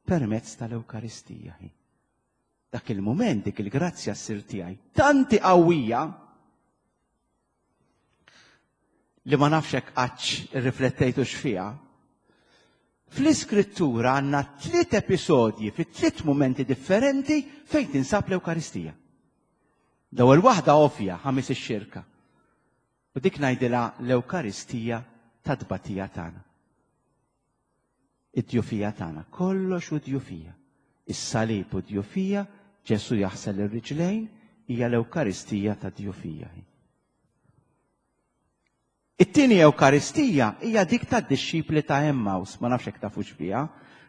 Permezz tal-Ewkaristija. Dak il-mument, dik il-grazzja ssir tiegħi tanti qawwija li ma nafx hekk qattx irriflettejtu x'fiha. Fl-Iskrittura għandna tliet episodji fi tliet mumenti differenti fejn tinsab l-Ewkaristija. L-ewwel waħda ovvja, ħamis ix-xirka. U dik ngħidilha l-Ewkaristija ta' tbatija tagħna. Id-djufija tagħna, kollox u djufija. Is-salib u djufija, Ġesù jaħsel ir-riġlejn, hija l-Ewkaristija ta' djufija. It-tieni Ewkaristija hija dik tad-dixxipli ta' Emmaus, ma nafx hekk tafux biha,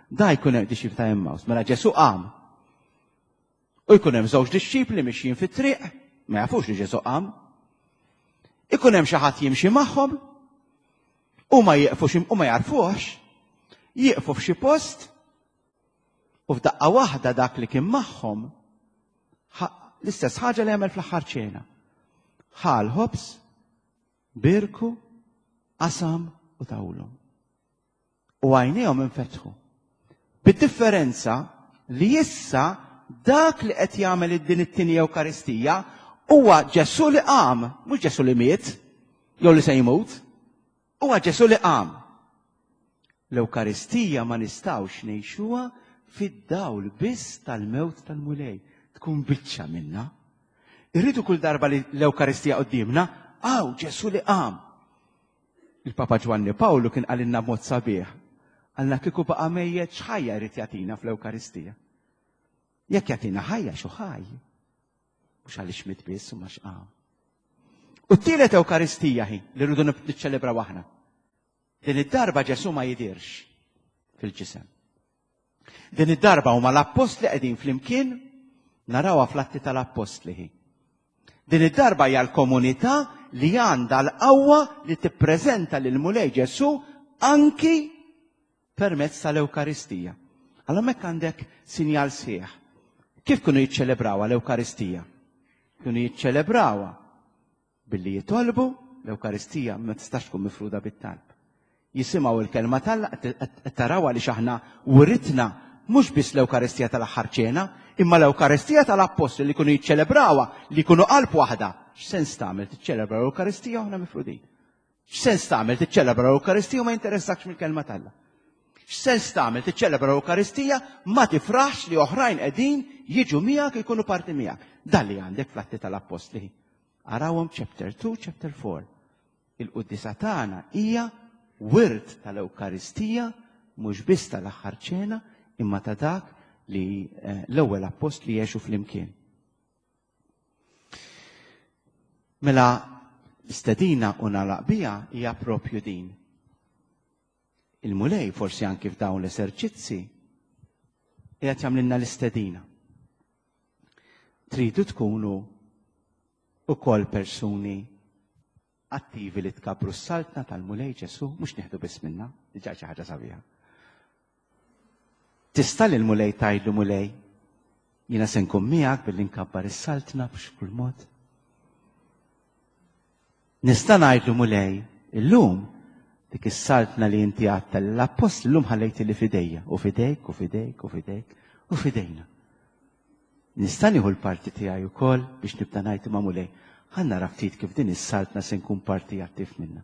da jkun hemm dixxipli ta' Emmaus, mela Ġesù qam. U jkun hemm żewġ dixxipli mixjin fit-triq, ma jafux li Ġesù qam. Ikun hemm xi ħadd jimxi magħhom, u ma jieqfux u ma jarfuhx, jieqfu f'xi post, u f'daqqa waħda dak li kien magħhom l-istess ħaġa li għamel fl-aħħar ċena. Ħa l-ħobż, birku, qasam u tawlhom. U għajnejhom infetħu. Bid-differenza li issa dak li qed jagħmel din it-tieni Ewkaristija huwa Ġesù li qam, mhux Ġesù li miet, jew li se jmut, huwa Ġesù li qam. L-Ewkaristija ma nistgħux ngħixuha fid-dawl biss tal-mewt tal-Mulej, tkun biċċa minna. Irridu kull darba li l-Ewkaristija quddiemna, għaw Ġesù li qam. Il-Papa Ġwanni Pawlu kien qalilna b'mod sabiħ, għalna kieku baqa' mejjet x'ħajja jrid jagħtina fl-Ewkaristija. Jekk jagħtina ħajja xu ħaj, mhux għaliex miet biss u ma x'qam. U t-tielet Ewkaristija hi li rridu niċċelebraw aħna. Din id-darba Ġesù ma jidirx fil-ġisem. Din id-darba huma l-appostli qegħdin flimkien, narawha fl-Atti tal-Appostli hi. Din id-darba hija l-komunità li għandha l-qawwa li tippreżenta lil Mulej Ġesù anki permezz tal-Ewkaristija. Allora hekk għandek sinjal sħiħ. Kif kienu jiċċelebrawha l-Ewkaristija? Kienu jiċċelebrawha billi jitolbu, l-Ewkaristija ma tistax tkun mifruda bit-talb. Jisimgħu l-kelma tal-Alla, qed taraw għaliex aħna writna mhux biss l-Ewkaristija tal-aħħar ċena, imma l-Ewkaristija tal-Appostli li kienu jiċċelebrawha, li kienu qalb waħda. X'sens tagħmel tiċċelebra l-Ewkaristija u aħna mifrudin? X'sens tagħmel tiċċelebra l-Ewkaristija u ma jinteressakx mill-kelma t'Alla? X'sens tagħmel tiċċelebra l-Ewkaristija ma tifraħx li oħrajn qegħdin jiġu miegħek jkunu parti miegħek? Dan li għandek fl-Atti tal-Appostli. Arawhom chapter two, chapter four. Il-quddiesa tagħna hija wirt tal-Ewkaristija, mhux biss tal-aħħar ċena, imma ta' dak li, eh, l-ewwel appostli jgħixu flimkien. Mela l-istedina u nagħlaq biha hija propju din. Il-Mulej forsi anki f'dawn l-eserċizzi qiegħed jagħmlilna l-istedina. Tridu tkunu ukoll persuni Attivi li tkabbru s-saltna tal-Mulej Ġesù, mhux nieħdu biss minna, diġà xi ħaġa sabiħa. Tista' lill-Mulej tgħidlu Mulej, jiena se nkun miegħek billi nkabbar is-saltna b'kull mod. Nista' ngħidlu Mulej, illum dik is-saltna li inti għedtha l-appostli llum ħallejt li fidejja, u fidejk, u fidejk, u fidejk, u fidejna. Nista' nieħu l-parti tiegħi wkoll biex nibda ngħid ma' Mulej, ħa nara ftit kif din is-saltna se nkun parti attiv minnha.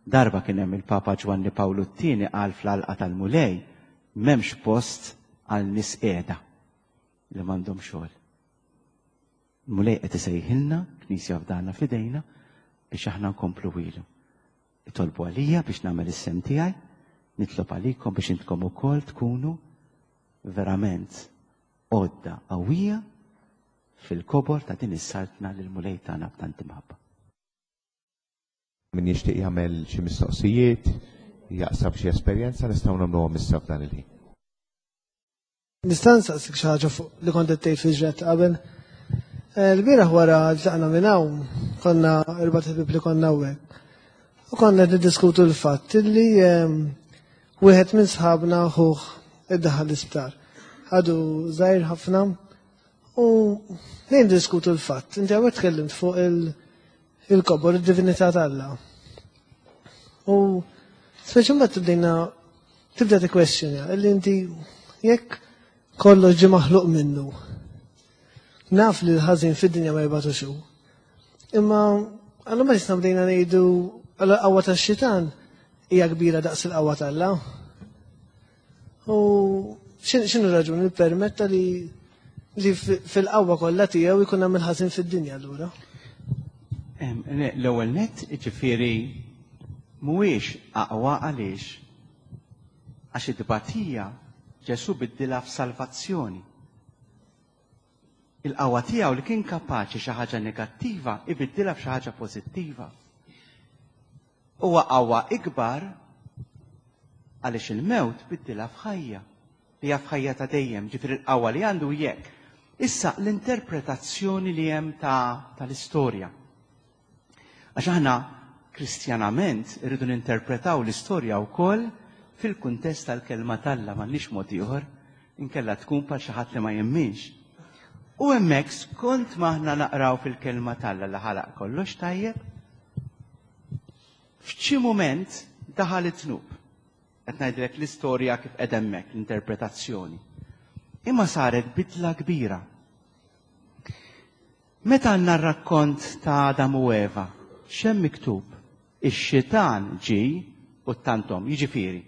Darba kien hemm il-Papa Ġwanni Pawlu t-tieni qal fl-għalqa tal-Mulej, m'hemmx post għal nies qiegħda li m'għandhom xogħol. Mulej qed isejħilna, Knisja fdana fidejna, biex aħna nkomplu ilu. Itolbu għalija biex nagħmel is-sehem tiegħi, nitlob għalikom biex intkom ukoll tkunu verament għodda qawwija fil-kobor ta' din is-saltna lil Mulej tagħna b'tant imħabba. Min jixtieq jagħmel xi mistoqsijiet, jaqsam xi esperjenza nistgħu nagħmluhom issa f'dan il-ħin. Nista' nsaqsik xi ħaġa fuq li kont qed tgħid fil-ġret qabel. Eh, L-bieraħ wara tlaqna minn hawn, konna erba' ħbieb li konna hawnhekk. U konna qed niddiskutu l-fatt li ehm, wieħed minn sħabna ħuh iddaħħal l-isptar. Għadu żgħir ħafna u nejn diskutu l-fatt. Inti hawnhekk tkellimt fuq il- il-kobor, id-divinità t'Alla. U speċi mbagħad tibdejna tibda tikkwestjonja illi inti jekk kollox ġie maħluq minnu. Naf li l-ħażin fid-dinja ma jibgħatux hu. Imma għallu ma jisna bdejna ngħidu għal qawwa tax-xitan hija kbira daqs il-qawwa t'Alla. U x'inhu raġuni li permetta li li fil-qawwa kollha tiegħu jkun hemm il-ħażin fid-dinja allura. Em, le- L-ewwel net, ġifieri mhuwiex aqwa għaliex għax id-tbatija Ġesù biddilha f'salvazzjoni. Il-qawwa tiegħu li kien kapaċi xi ħaġa negattiva ibiddilha f'xi ħaġa pożittiva. Huwa qawwa ikbar għaliex il-mewt biddilha f'ħajja. Li hija f'ħajja ta' dejjem, ġifieri il-qawwa li għandu jekk. Issa l-interpretazzjoni li hemm ta' tal-istorja. Għax aħna kristjanament irridu ninterpretaw l-istorja wkoll fil-kuntest tal-kelma t'Alla m'għandniex mod ieħor, inkella tkun bħal xi ħadd li ma jemminx. U hemmhekk skont ma aħna naqraw fil-kelma t'Alla li ħalaq kollox tajjeb, f'xi mument daħal it-tnub. Qed ngħidlek l-istorja kif qed hemmhekk, l-interpretazzjoni. Imma saret bidla kbira. Meta għandna r-rakkont ta' Adam u Eva, x'hemm miktub? Ix-xitan ġi u ttanthom, jiġifieri,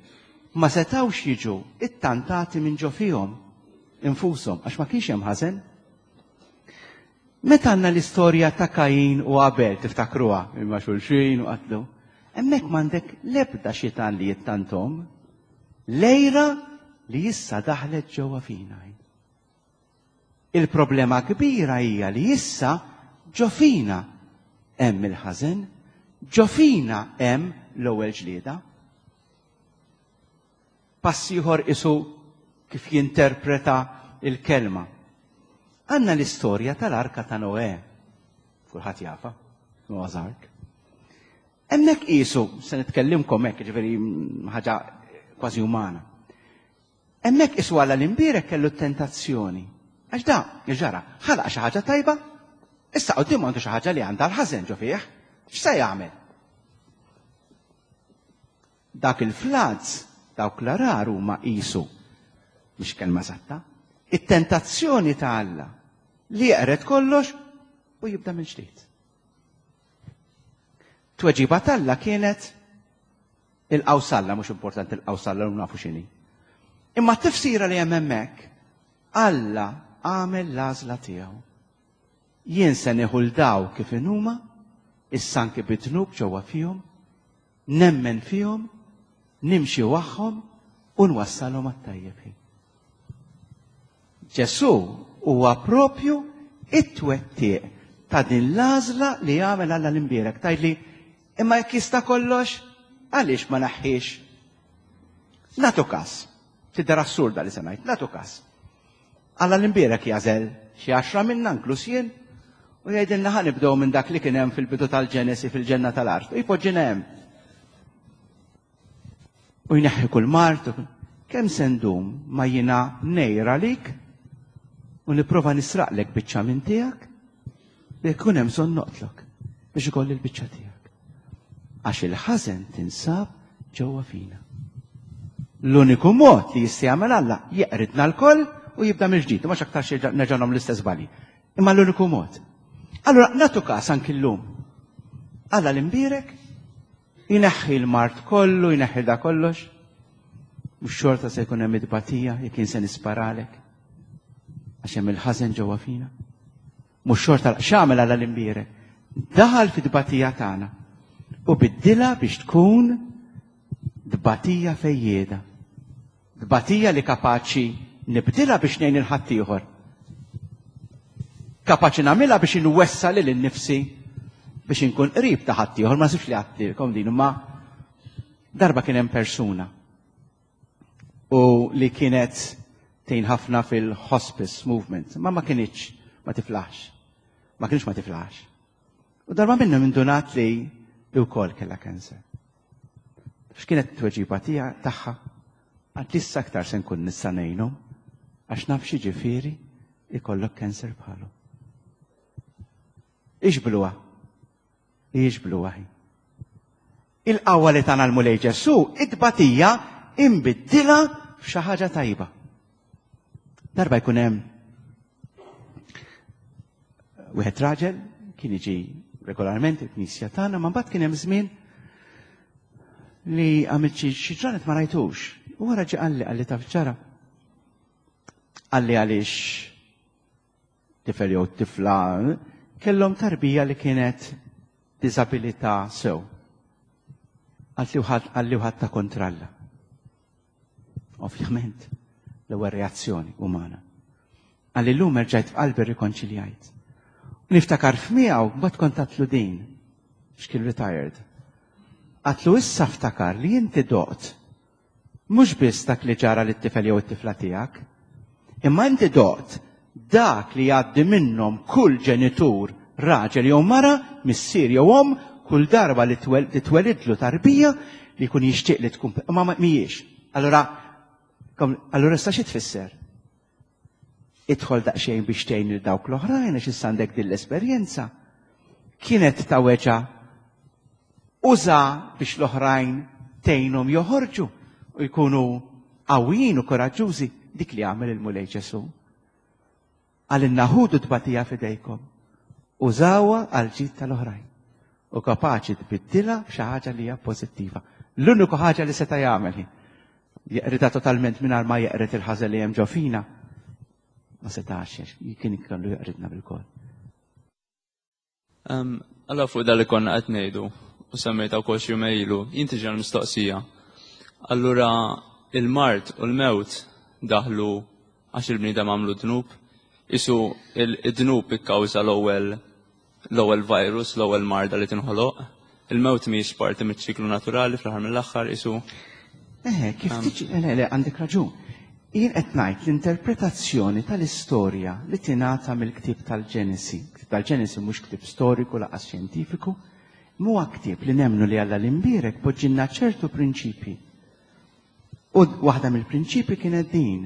ma setawx jiġu ittantati minn ġo fihom infushom, għax ma kienx hemm ħażen. Meta għandna l-istorja ta' Kajin u Abel, tiftakruha, imma xulxin u qatlu, hemmhekk m'għandek l-ebda xitan li jittantom, l-għira li issa daħlet ġewwa fina. Il-problema kbira hija li issa ġo fina hemm il-ħażen, ġo fina hemm l-ewwel ġlieda. Pass ieħor isu kif jinterpreta il-kelma. Għandna l-istorja tal-Arka ta' Noè. Kulħadd jafha, Noah's Ark. Hemmhekk qisu, se nitkellimkom hekk, ġifieri ħaġa kważi umana. Hemmhekk qisu Alla l-imbierek kellu t-tentazzjoni. Għax da, ġara, ħalaq xi ħaġa tajba, issa quddiem għandu xi ħaġa li għandha l-ħażen ġo fih, x'se jagħmel? Dak il-floods, dawk l-għargħar huma qisu, mhix kelma eżatta, it-tentazzjoni ta' Alla li jeqred kollox u jibda minn ġdid. Tweġiba t'Alla kienet il-qawsalla, mhux importanti il-qawsalla, u nafu x'inhi. Imma t-tifsira li hemm hemmhekk, Alla għamel l-għażla tiegħu. Jien se nieħu 'l daw kif inhuma, issa anki bid-dnub ġewwa fihom, nemmen fihom, nimxi magħhom u nwassalhom għat-tajjeb. Ġesù huwa propju it-twettiq ta' din l-għażla li għamel Alla l-imbierek. Tgħidli, imma jekk jista' kollox, għaliex ma naħħiex? Nagħtu każ. Tidher assurda li se ngħid, nagħtu każ. Alla l-imbierek jagħżel xi għaxra minna inkluż jien U jgħidilna ħa nibdew minn dak li kien hemm fil-bidu tal-Ġenesi fil-ġenna tal-art. U jpoġġina hemm. U jneħħi kull mard. Kemm se ndum ma jiena ngħir għalik u nipprova nisraqlek biċċa minn tiegħek li jkun hemm bżonn noqtlok biex ikolli l-biċċa tiegħek. Għax il-ħażen tinsab ġewwa fina. L-uniku mod li jista' jagħmel Alla jeqridna lkoll u jibda mill-ġdid, ma x'aktarx nerġa' nagħmlu l-istess żbalji. Imma l-uniku mod. Allura nagħtu każ anki llum. Alla l-imbierek jneħħi l-mard kollu, jneħħi da kollox. Mhux xorta se jkun hemm it-tbatija jekk jien se nisparalek. Għax hemm il-ħażen ġewwa fina. Mhux xorta x'għamel Alla l-imbierek? Daħal fit-tbatija tagħna u biddilha biex tkun tbatija fejjieda. Tbatija li kapaċi nibdilha biex ngħin il-ħaddieħor. Kapaċi nagħmilha biex inwessa lil innifsi biex inkun qrib ta' ħaddieħor, ma sibx li għattilkom din, imma darba kien hemm persuna u li kienet tgħin ħafna fil-hospice movement, ma ma kinitx ma tiflaħx. Ma kienx ma tiflaħx. U darba minnhom indunat li li wkoll kellha cancer. X'kienet t-tweġiba tiegħha tagħha? Għad issa aktar se nkun nista' ngħinhom għax naf xi ġifieri ikollok cancer bħalu. Ixbluha. Ixbluha hi. Il-qawwa li tana l-Mulej Ġesù, it-tbatija imbiddilha f'xi ħaġa tajba. Darba jkun hemm wieħed raġel kien jiġi regolarment il-knisja tagħna, ma mbagħad kien hemm żmien li għamilt xi xi ġranet ma rajtux. U wara ġie qalli qalli taf ġara. Qalli għaliex tifel jew tifla kellhom tarbija li kienet diżabilità sew. Qalli wħadd qalli wħadd ta' kontralla. Ovvjament, l-ewwel reazzjoni umana. Qalli llum erġajt f'qalbi rrikonċiljajt. U niftakar f'miegħu mbagħad kont għatlu din, x'kien retired. Għatlu issa ftakar li inti doqt mhux biss dak li ġara lit-tifel jew it-tifla tiegħek, imma inti doqt dak li jgħaddi minnhom kull ġenitur, raġel jew mara, missier jew omm, kull darba li twel-, li twelidlu tarbija li jkun jixtieq li tkun, imma ma mhijiex. Allura, kom, allura issa xi tfisser? Idħol daqsxejn biex tgħin lil dawk l-oħrajn għax issa għandek din l-esperjenza. Kienet ta' weġgħa uża biex l-oħrajn tgħinhom joħorġu u jkunu qawwijin u koraġġużi, dik li għamel il-Mulej Ġesù. Għalinna ħudu tbatija f'idejkom, użawha għal ġid tal-oħrajn u kapaċi tbiddilha f'xi ħaġa li hija pożittiva. L-uniku ħaġa li seta' jagħmel hi jeqridha totalment mingħajr ma jeqred il-ħażen li hemm ġo fina. Ma setax, kien ikollu jeqridna bil-koll. Em, Allora fuq dal li konna qed ngħidu u semmejta wkoll xi jumejn ilu, jien tiġi l-mistoqsija. Allura il-mard u l-mewt daħlu għax il-bniedem għamlu dnub, isu il-dnub ikkawża l-ewwel l-ewwel virus, l-ewwel marda li tinħoloq. Il-mewt mhijiex parti miċ-ċiklu naturali fl-aħħar mill-aħħar isu. Eh, kif tiġi, le, le, għandek raġun. Jien qed ngħid l-interpretazzjoni tal-istorja li tingħata mill-ktieb tal-Ġenesi. Ktieb tal-Ġenesi mhux ktieb storiku laqas xjentifiku, huwa ktieb li nemmnu li Alla l-imbierek poġġilna ċertu prinċipji. U waħda mill-prinċipji kienet din.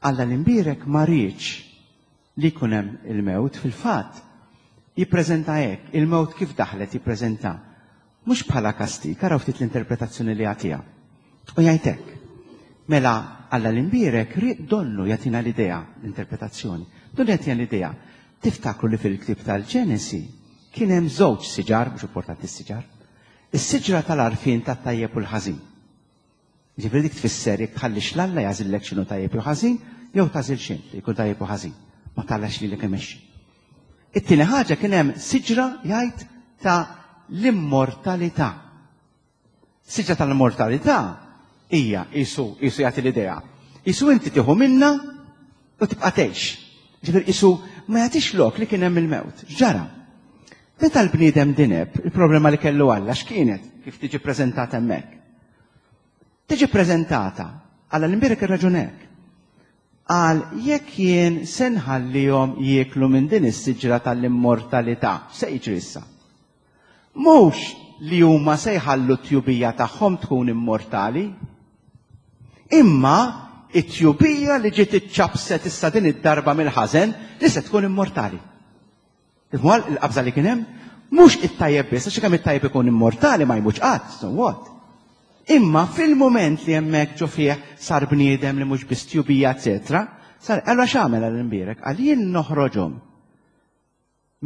Alla l-imbierek ma riedx li jkun hemm il-mewt, fil-fatt jippreżenta hekk, il-mewt kif daħlet jippreżenta mhux bħala kastig, araw ftit l-interpretazzjoni li jagħtiha. U jgħid hekk. Mela Alla l-imbierek ried donnu jagħtina l-idea, l-interpretazzjoni. Donnu jagħtina l-idea. Tiftakru li fil-ktieb tal-Ġenesi kien hemm żewġ siġar, mhux importanti s-siġar, is-siġra tal-għarfien tat-tajjeb u l-ħażin. Ġifieri dik tfisser jekk tħallix l-Alla jagħżillek x'inhu tajjeb jew ħażin, jew tagħżil x'int li jkun tajjeb u ħażin. Ma tagħlax lilek imexxi. It-tieni ħaġa kien hemm siġra jgħid ta' l-immortalità. Siġra tal-immortalità hija isu, isu jagħti l-idea. Isu inti tieħu minna u tibqa' tgħix. Ġifieri isu ma jagħtix lok li kien hemm il-mewt. Ġara. Meta l-bniedem dineb, il-problema li kellu Alla x'kienet kif tiġi preżentata hemmhekk? Tiġi preżentata Alla l-imbierek ir-raġun hekk. Qal jekk jien se nħallihom jieklu minn din is-siġra tal-immortalità, se jiġri issa? Mhux li huma se jħallu t-tjubija tagħhom tkun immortali, imma it-tjubija li ġiet iċċapset issa din id-darba mill-ħażen li se tkun immortali. Tifhmu il-qabża li kien hemm? Mhux it-tajjeb biss, għax kemm it-tajjeb ikun immortali ma jmutx qatt, so what? Imma fil-moment li hemmhekk ġo fih sar bniedem li mhux biss tjubija, eċetera, sar allura x'għamel għall-imbierek? Qal jien noħroġhom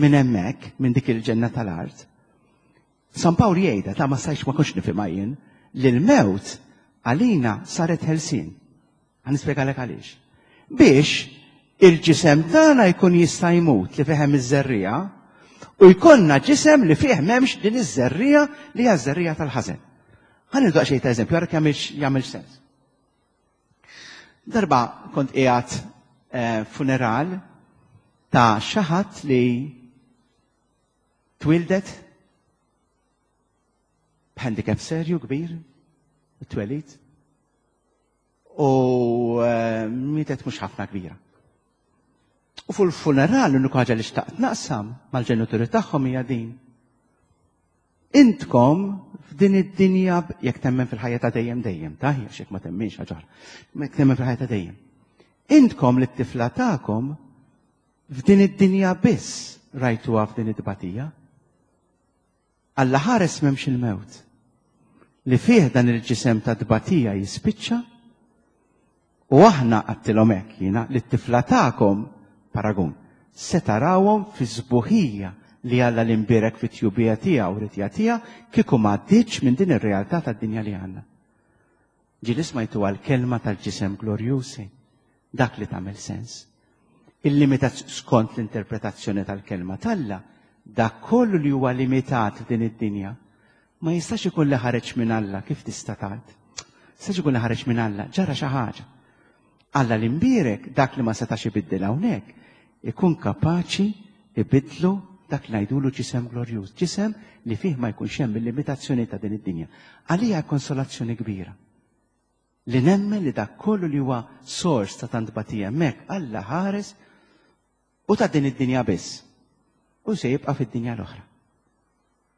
minn hemmhekk, minn dik il-ġenna tal-art. San Pawl jgħidha ta' ma stajtx ma kontx nifhimha jien, li l-mewt għalina saret ħelsien. Ħa nispjegalek għaliex. Biex il-ġisem tagħna jkun jista' jmut li fih hemm iż-żerriegħa u jkollna ġisem li fih m'hemmx din iż-żerriegħa li hija ż-żerriegħa tal-ħażen. Ħa nieħdu xejn ta' eżempju, għara kemm jagħmel sens. Darba kont qiegħed eh, funeral ta' xi ħadd li twildet b'handicap serju kbir, twelid, u eh, mietet mhux ħafna kbira. U fil-funeral l-unika ħaġa li xtaqt naqsam mal-ġenituri tagħhom hija din. Intkom f'din id-dinja jekk temmen fil-ħajja ta' dejjem dejjem, ta' għax jekk ma temminx ħaġa oħra. Jekk temmen fil-ħajja ta' dejjem. Intkom li t-tifla tagħkom f'din id-dinja biss rajtuha f'din it-tbatija. Alla ħares m'hemmx il-mewt. Li fih dan il-ġisem ta' tbatija jispiċċa u aħna għedtilhom hekk jiena li t-tifla tagħkom paragun se tarawhom fi sbuħija li Alla l-imbierek fit-tjubija tiegħu ried jagħtiha kieku ma għaddietx minn din ir-realtà tad-dinja li għandna. Ġieli smajtu għal-kelma tal-ġisem glorjusi, dak li tagħmel sens. Il-limitat skont l-interpretazzjoni tal-kelma t'Alla, dak kollu li huwa limitat din id-dinja, ma jistax ikun li ħareġ minn Alla, kif tista' tgħid? Jistax ikun li ħareġ minn Alla, ġara xi ħaġa. Alla l-imbierek dak li ma setax ibiddel hawnhekk, ikun kapaċi ibidlu dak li ngħidulu ġisem glorjuż, ġisem li fih ma jkunx hemm il-limitazzjoni ta' din id-dinja. Għalija konsolazzjoni kbira. Li nemmen li dak kollu li huwa sors ta' tant batija hemmhekk Alla ħares u ta' din id-dinja biss. U se jibqa' fid-dinja l-oħra.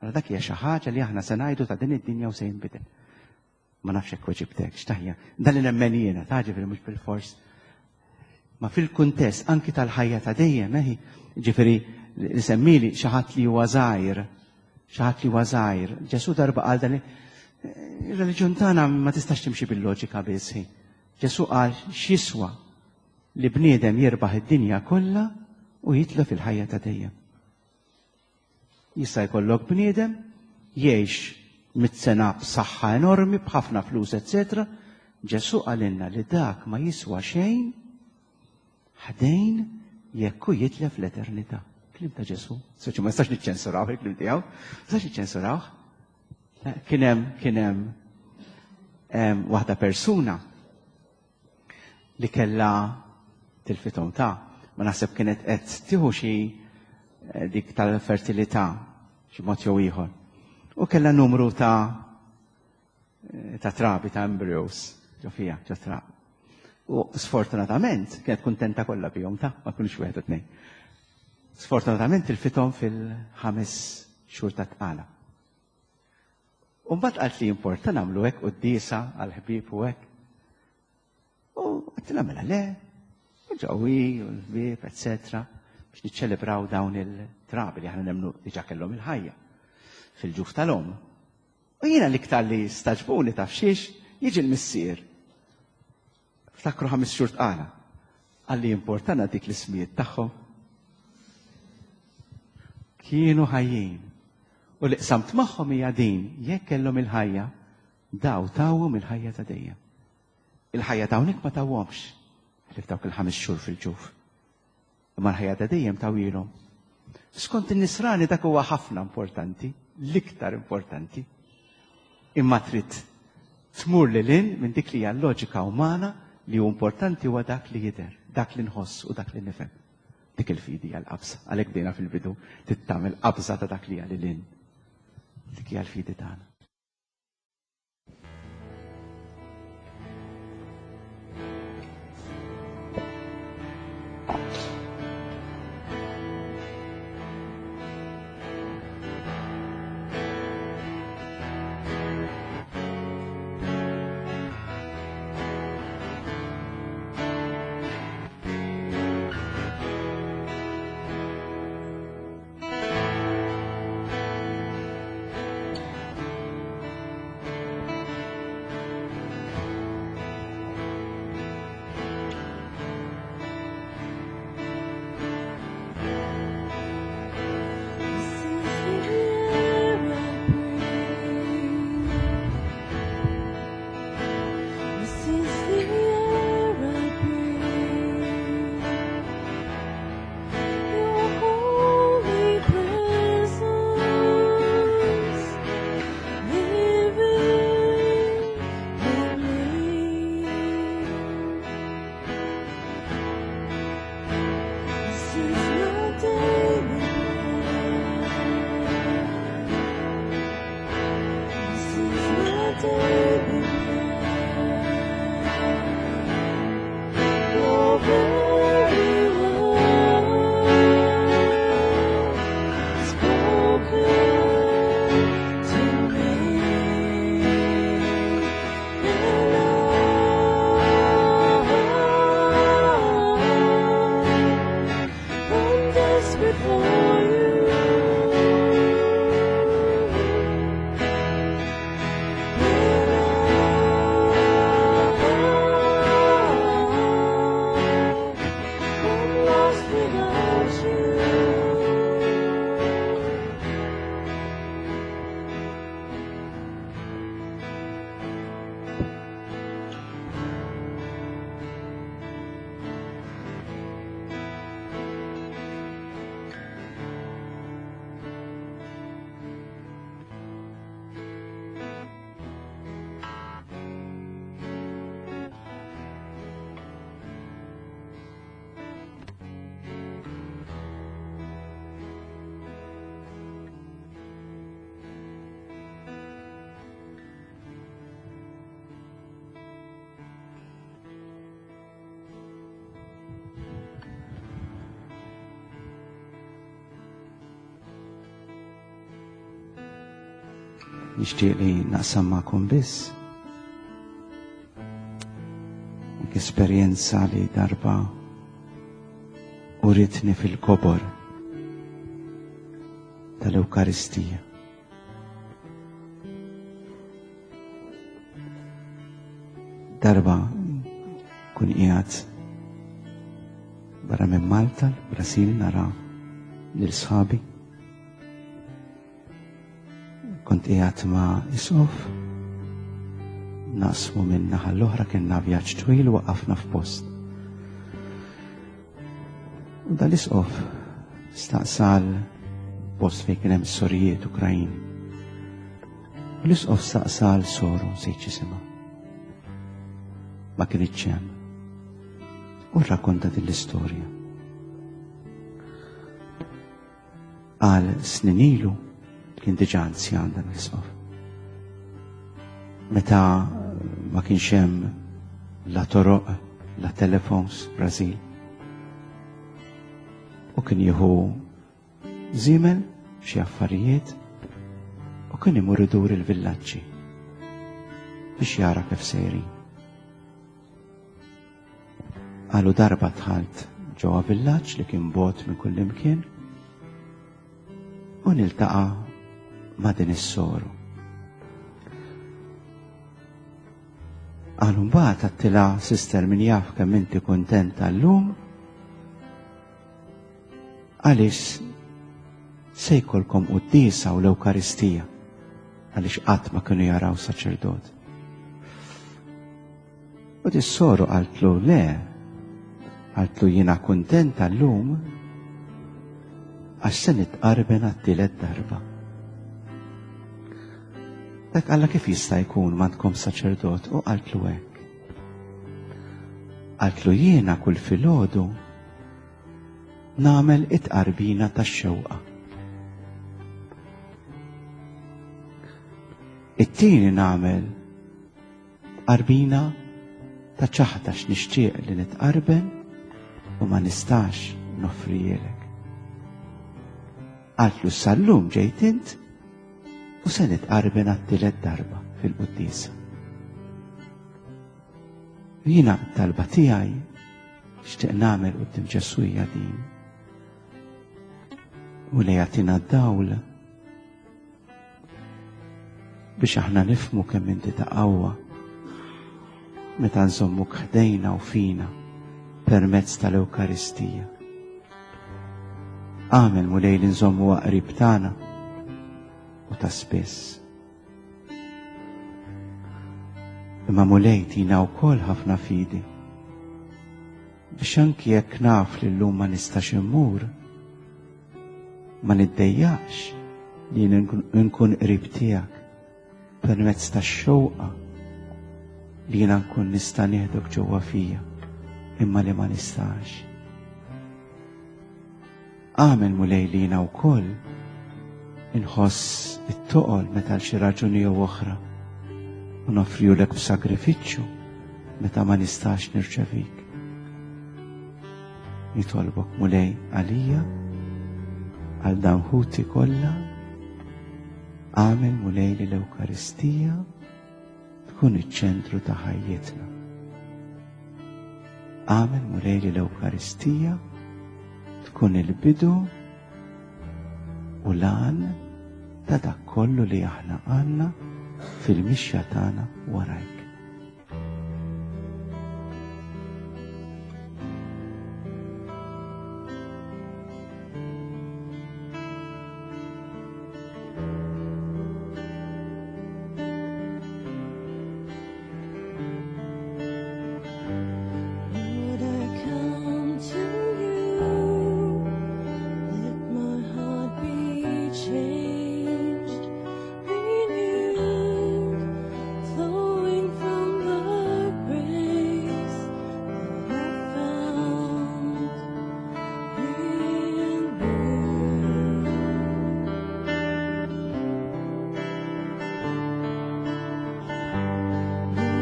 Allora dak hija xi ħaġa li aħna se ngħidu ta' din id-dinja u se jinbidel. Ma nafx hekk weġibtek, x'taħja. Dan li nemmen jiena, ta' ġifieri mhux bil-fors. Ma fil-kuntest anki tal-ħajja ta' dejjem, eħi, ġifieri li semmili xi ħadd li huwa żgħir, xi ħadd li huwa żgħir. Ġesù darba qal dan ir-reliġjon tagħna ma tistax timxi bil-loġika biss. Ġesù qal x'jiswa li bniedem jirbaħ id-dinja kollha u jitlef il-ħajja ta' dejjem. Jista' jkollok bniedem jgħix mitt sena b'saħħa enormi, b'ħafna flus, eċetera. Ġesù qalilna li dak ma jiswa xejn ħdejn jekk hu jitlef l-eternità. Kliem ta' Ġesù. Soċi ma jistax niċċensuraw il-kliem tiegħu. Ma jistax niċċensuraw. Kien hemm kien hemm waħda persuna li kellha tilfithom ta' ma naħseb kienet qed tieħu xi dik tal-fertilità xi mod jew ieħor. U kellha numru ta' ta' trabi ta' embryos ġo fiha, ġo trabi. U sfortunatament kienet kuntenta kollha bihom ta' ma kienux wieħed u tnejn. Sfortunatament tilfithom fil-ħames xhur ta' tqala. U mbagħad qalt li importa nagħmlu hekk quddiesa għall-ħbieb u hekk. U għedtilha mela le, u ġewwi u l-ħbieb, eċetera, biex niċċelebraw dawn il-trabi li aħna nemmnu diġà kellhom il-ħajja fil-ġuf tal-omm. U jiena l-iktar li staġbuni taf xiex jiġi l-missier. Ftakru ħames xhur tqala. Qalli importana dik l-ismijiet tagħhom. Kienu ħajjin. U li qsamt magħhom hija din, jekk kellhom il-ħajja, daw tawhom il-ħajja ta' dejjem. Il-ħajja ta' hawnhekk ma tawhomx, ħlief dawk il-ħames xhur fil-ġuf. Imma l-ħajja ta' dejjem tawilhom. Skont in-nisrani dak huwa ħafna importanti, l-iktar importanti. Imma trid tmur lil hinn minn dik li hija l-loġika umana li hu importanti huwa dak li jidher, dak li nħoss u dak li nifhem. Dik il-fidi hija l-qabża, għalhekk bdejna fil-bidu trid tagħmel qabża ta' dak li hija lil hinn. Dik hija l-fidi tagħna. Nixtieq li naqsam magħkom biss dik esperjenza li darba uritni fil-kobor tal-Ewkaristija. Darba kun qiegħed barra minn Malta, l-Brasil, nara lil sħabi. Kont qiegħed ma' isqof, naqsmu minn naħa l-oħra, kellna vjaġġ twil u waqafna f'post. U dal-isqof staqsal post fejn kien hemm sorijiet Ukrajin. U l-isqof staqsal soru nsejt x'isimha. Ma kinitx hemm. U rrakkonta din l-istorja. Għal snin ilu kien diġà anzjan dan l-isqof. Meta ma kienx hemm la toroq, la telefons Brażil. U kien jieħu żiemel xi affarijiet u kien imur idur il-villaġġi biex jara kif sejrin. Qalu darba dħalt ġewwa villaġġ li kien bogħod minn kull imkien u niltaqa' ma' din is-soru. Qalu mbagħad għattilha, sister, min jaf kemm inti kuntenta llum għaliex se jkollkom quddiesa u l-Ewkaristija, għaliex qatt ma kienu jaraw saċerdot. U dis-soru qaltlu le, qaltlu jiena kuntenta llum għax se nitqarben għat-tielet darba. Dak Alla kif jista' jkun m'għandkom saċerdot? U qaltlu hekk. Qaltlu jiena kull filgħodu nagħmel it-tqarbina tax-xewqa. It-tieni nagħmel tqarbina ta' ċaħda x'nixtieq li nitqarben, u ma nistax noffrihielek. Qaltlu sal-lum ġejt int u se nitqarben għat-tielet darba fil-quddiesa. Jiena t-talba tiegħi xtieq nagħmel quddiem Ġesù hija din. U li jagħtina d-dawl biex aħna nifhmu kemm inti ta' qawwa meta nżommuk ħdejna u fina permezz tal-Ewkaristija. Agħmel Mulej li nżommu qrib tagħna u ta' spiss. Imma Mulej tina wkoll ħafna fidi biex anki jekk naf li llum ma nistax immur, ma niddejjaqx li nkun qrib tiegħek permezz tax-xewqa li jiena nkun nista' nieħdok ġewwa fija imma li ma nistax. Agħmel Mulej li jiena wkoll inħoss it-toqol meta għal xi raġuni jew oħra u noffriulek b'sagrifiċċju meta ma nistax nirċevik. Nitolbok Mulej għalija, għal dawn ħuti kollha, agħmel Mulej li l-Ewkaristija tkun iċ-ċentru ta' ħajjitna. Agħmel Mulej li l-Ewkaristija tkun il-bidu u l-għan ta' dak kollu li aħna għandna fil-mixja tagħna warajk. Lord, I come to you. Let my heart be changed, renewed, flowing from the grace that I found in you.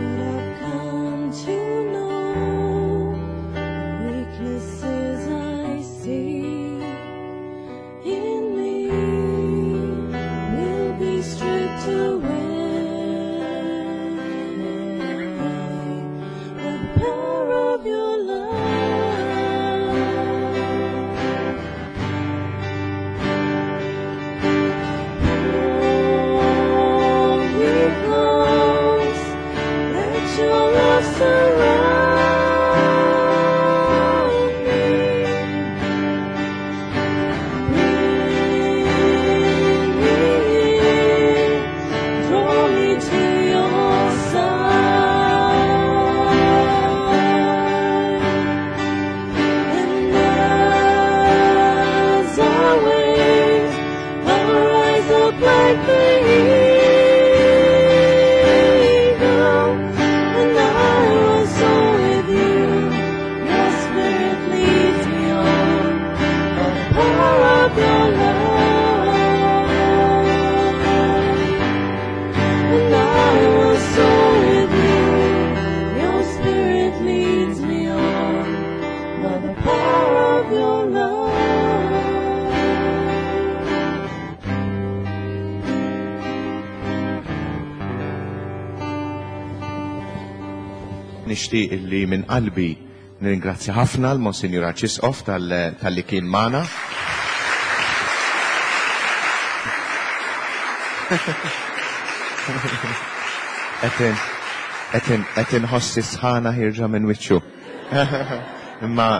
Lord, I've come to know the weaknesses I see in me will be stripped away by the power of your love. Hold me close, let your love surround me. Bring me in, draw me to your side. And as I wait, I'll rise up like the eagle, and I will soar with you. Your spirit leads me on by the power of your love. And I will soar with you. Your spirit leads me on by the power of your love. Nixtieq illi minn qalbi nirringrazzja ħafna l-Monsinjur Arċisqof tal- tal-li kien magħna. Qed qed inħoss is-sħana ħierġa minn wiċċu. Imma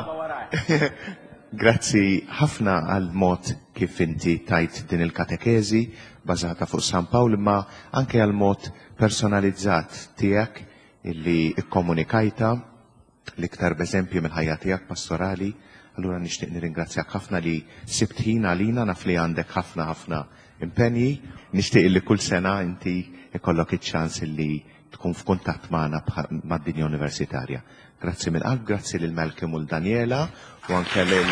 grazzi ħafna għal mod kif inti tajt din il-katekeżi bażata fuq San Pawl, imma anke għal mod personalizzat tiegħek illi ikkomunikajta l-iktar b'eżempju mill-ħajja tiegħek pastorali. Allura nixtieq nirringrazzjak ħafna li sibt ħin għalina, naf li għandek ħafna ħafna impenji. Nixtieq illi kull sena inti ikollok iċ-ċans illi tkun f'kuntatt magħna mad-dinja universitarja. Grazzi mill-qalb, grazzi lil Malcolm u l-Daniela u anke lil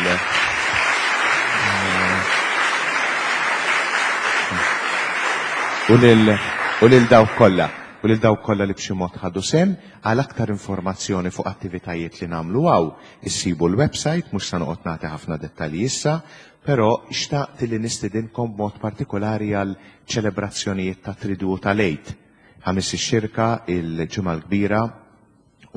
u lil u lil dawk kollha. u lil dawk kollha li b'xi mod ħadu sehem. Għal aktar informazzjoni fuq attivitajiet li nagħmlu hawn issibu l-website, mhux se noqgħod nagħti ħafna dettalji issa, però xtaqt li nistidinkom b'mod partikolari għal ċelebrazzjonijiet ta' Tridu tal-Għid. Ħamis ix-Xirka, il-Ġimgħa l-Kbira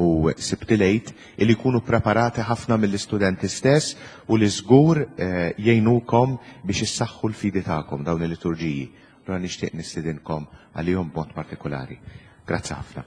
u Sibt il-Għid, li jkunu preparati ħafna mill-istudenti stess u li żgur eh, jgħinukom biex issaħħu l-fidi tagħkom dawn il-liturġiji. Allura nixtieq nistidinkom għalihom b'mod partikolari. Grazzi ħafna.